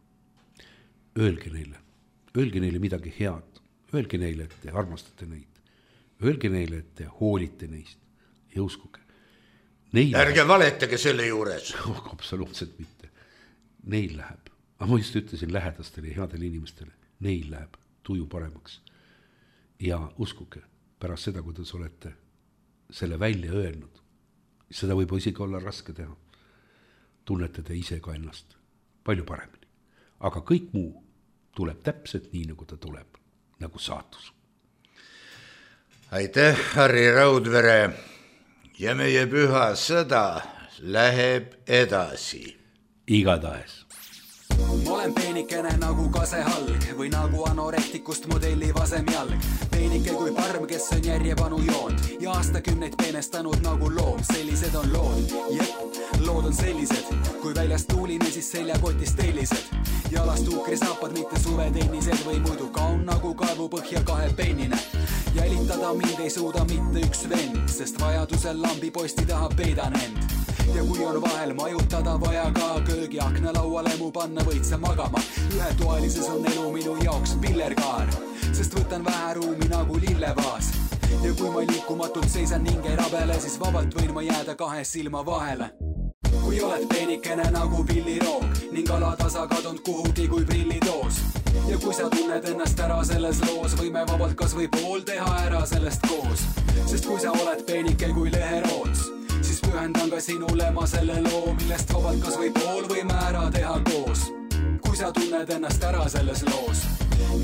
Öelge neile, öelge neile midagi head, öelge neile, et te armastate neid, öelge neile, et te hoolite neist ja uskuge. Neil ärge valetage selle juures. Oh, absoluutselt mitte. Neil läheb, aga ma just ütlesin lähedastele ja headele inimestele, neil läheb tuju paremaks. Ja uskuge, pärast seda, kui te olete selle välja öelnud, seda võib isegi olla raske teha, tunnete te ise ka ennast palju paremini. Aga kõik muu tuleb täpselt nii, nagu ta tuleb, nagu saatus. Aitäh, Harri Raudvere, ja meie püha sõda läheb edasi. Igatahes. Ma olen peenikene nagu kasehalg või nagu anorektikust modelli vasem jalg. Peenike kui parm, kes on järjepanu joond ja aastakümneid peenestanud nagu loom. Sellised on lood, jep, lood on sellised. Kui väljast tuuline, siis seljakotist tellised. Jalast tuukrisaapad, mitte suvetennised või muidu kaun nagu kaevupõhja kahe pennine. Jälitada mind ei suuda mitte üks vend, sest vajadusel lambi posti taha peidan end. Ja kui on vahel majutada vaja ka köögi akna lauale mu panna võid sa magama. Ühetoalises on elu minu jaoks pillerkaar, sest võtan vähe ruumi nagu lillevaas. Ja kui ma liikumatult seisan ning ei rabele, siis vabalt võin ma jääda kahe silma vahele. Kui oled peenikene nagu pilliroog ning alatasa kadunud kuhugi kui prillitoos. Ja kui sa tunned ennast ära selles loos, võime vabalt kas või pool teha ära sellest koos. Sest kui sa oled peenike kui leheroots, siis pühendan ka sinule ma selle loo, millest vabalt kas või pool võime ära teha koos. Kui sa tunned ennast ära selles loos.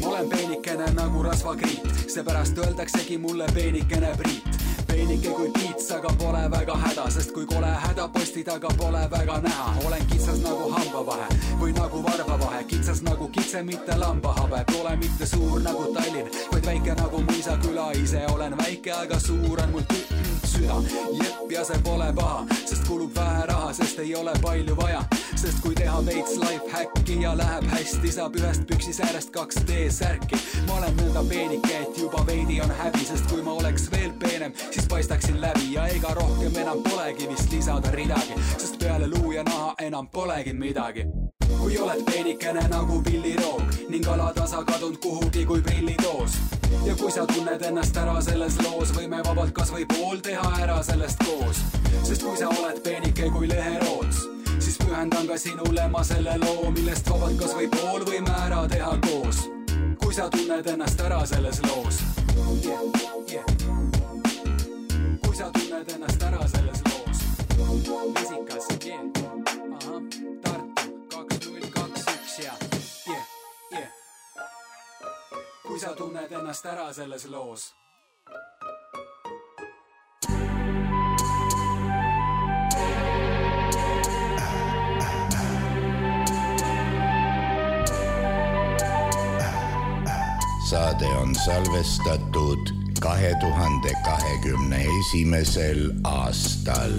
Ma olen peenikene nagu rasvakriit, seepärast öeldaksegi mulle peenikene Priit. Peenike kui piits, aga pole väga häda, sest kui kole häda posti taga pole väga näha. Olen kitsas nagu hambavahe või nagu varbavahe, kitsas nagu kitse, mitte lambahabe. Pole mitte suur nagu Tallinn, vaid väike nagu mõisaküla. Ise olen väike, aga suur on mul süda. Jep, ja see pole paha, sest kulub vähe raha, sest ei ole palju vaja. Sest kui teha veits life hacki ja läheb hästi, saab ühest püksis äärest kaks D-särki. Ma olen nõnda peenike, et juba veidi on häbi, sest kui ma oleks veel peenem, siis paistaksin läbi ja ega rohkem enam polegi vist lisada ridagi, sest peale luu ja naha enam polegi midagi. Kui oled peenikene nagu pilliroog ning alatasa kadunud kuhugi kui prillitoos. Ja kui sa tunned ennast ära selles loos, võime vabalt kas või pool teha ära sellest koos. Sest kui sa oled peenike kui leheroots, siis pühendan ka sinule ma selle loo, millest vabalt kas või pool võime ära teha koos. Kui sa tunned ennast ära selles loos. Yeah, yeah. Kui sa tunned ennast ära selles loos. Vesikas, yeah. Aha, Tartu, kaks null kaks üks ja yeah, yeah. Kui sa tunned ennast ära selles loos. Saade on salvestatud kahe tuhande kahekümne esimesel aastal.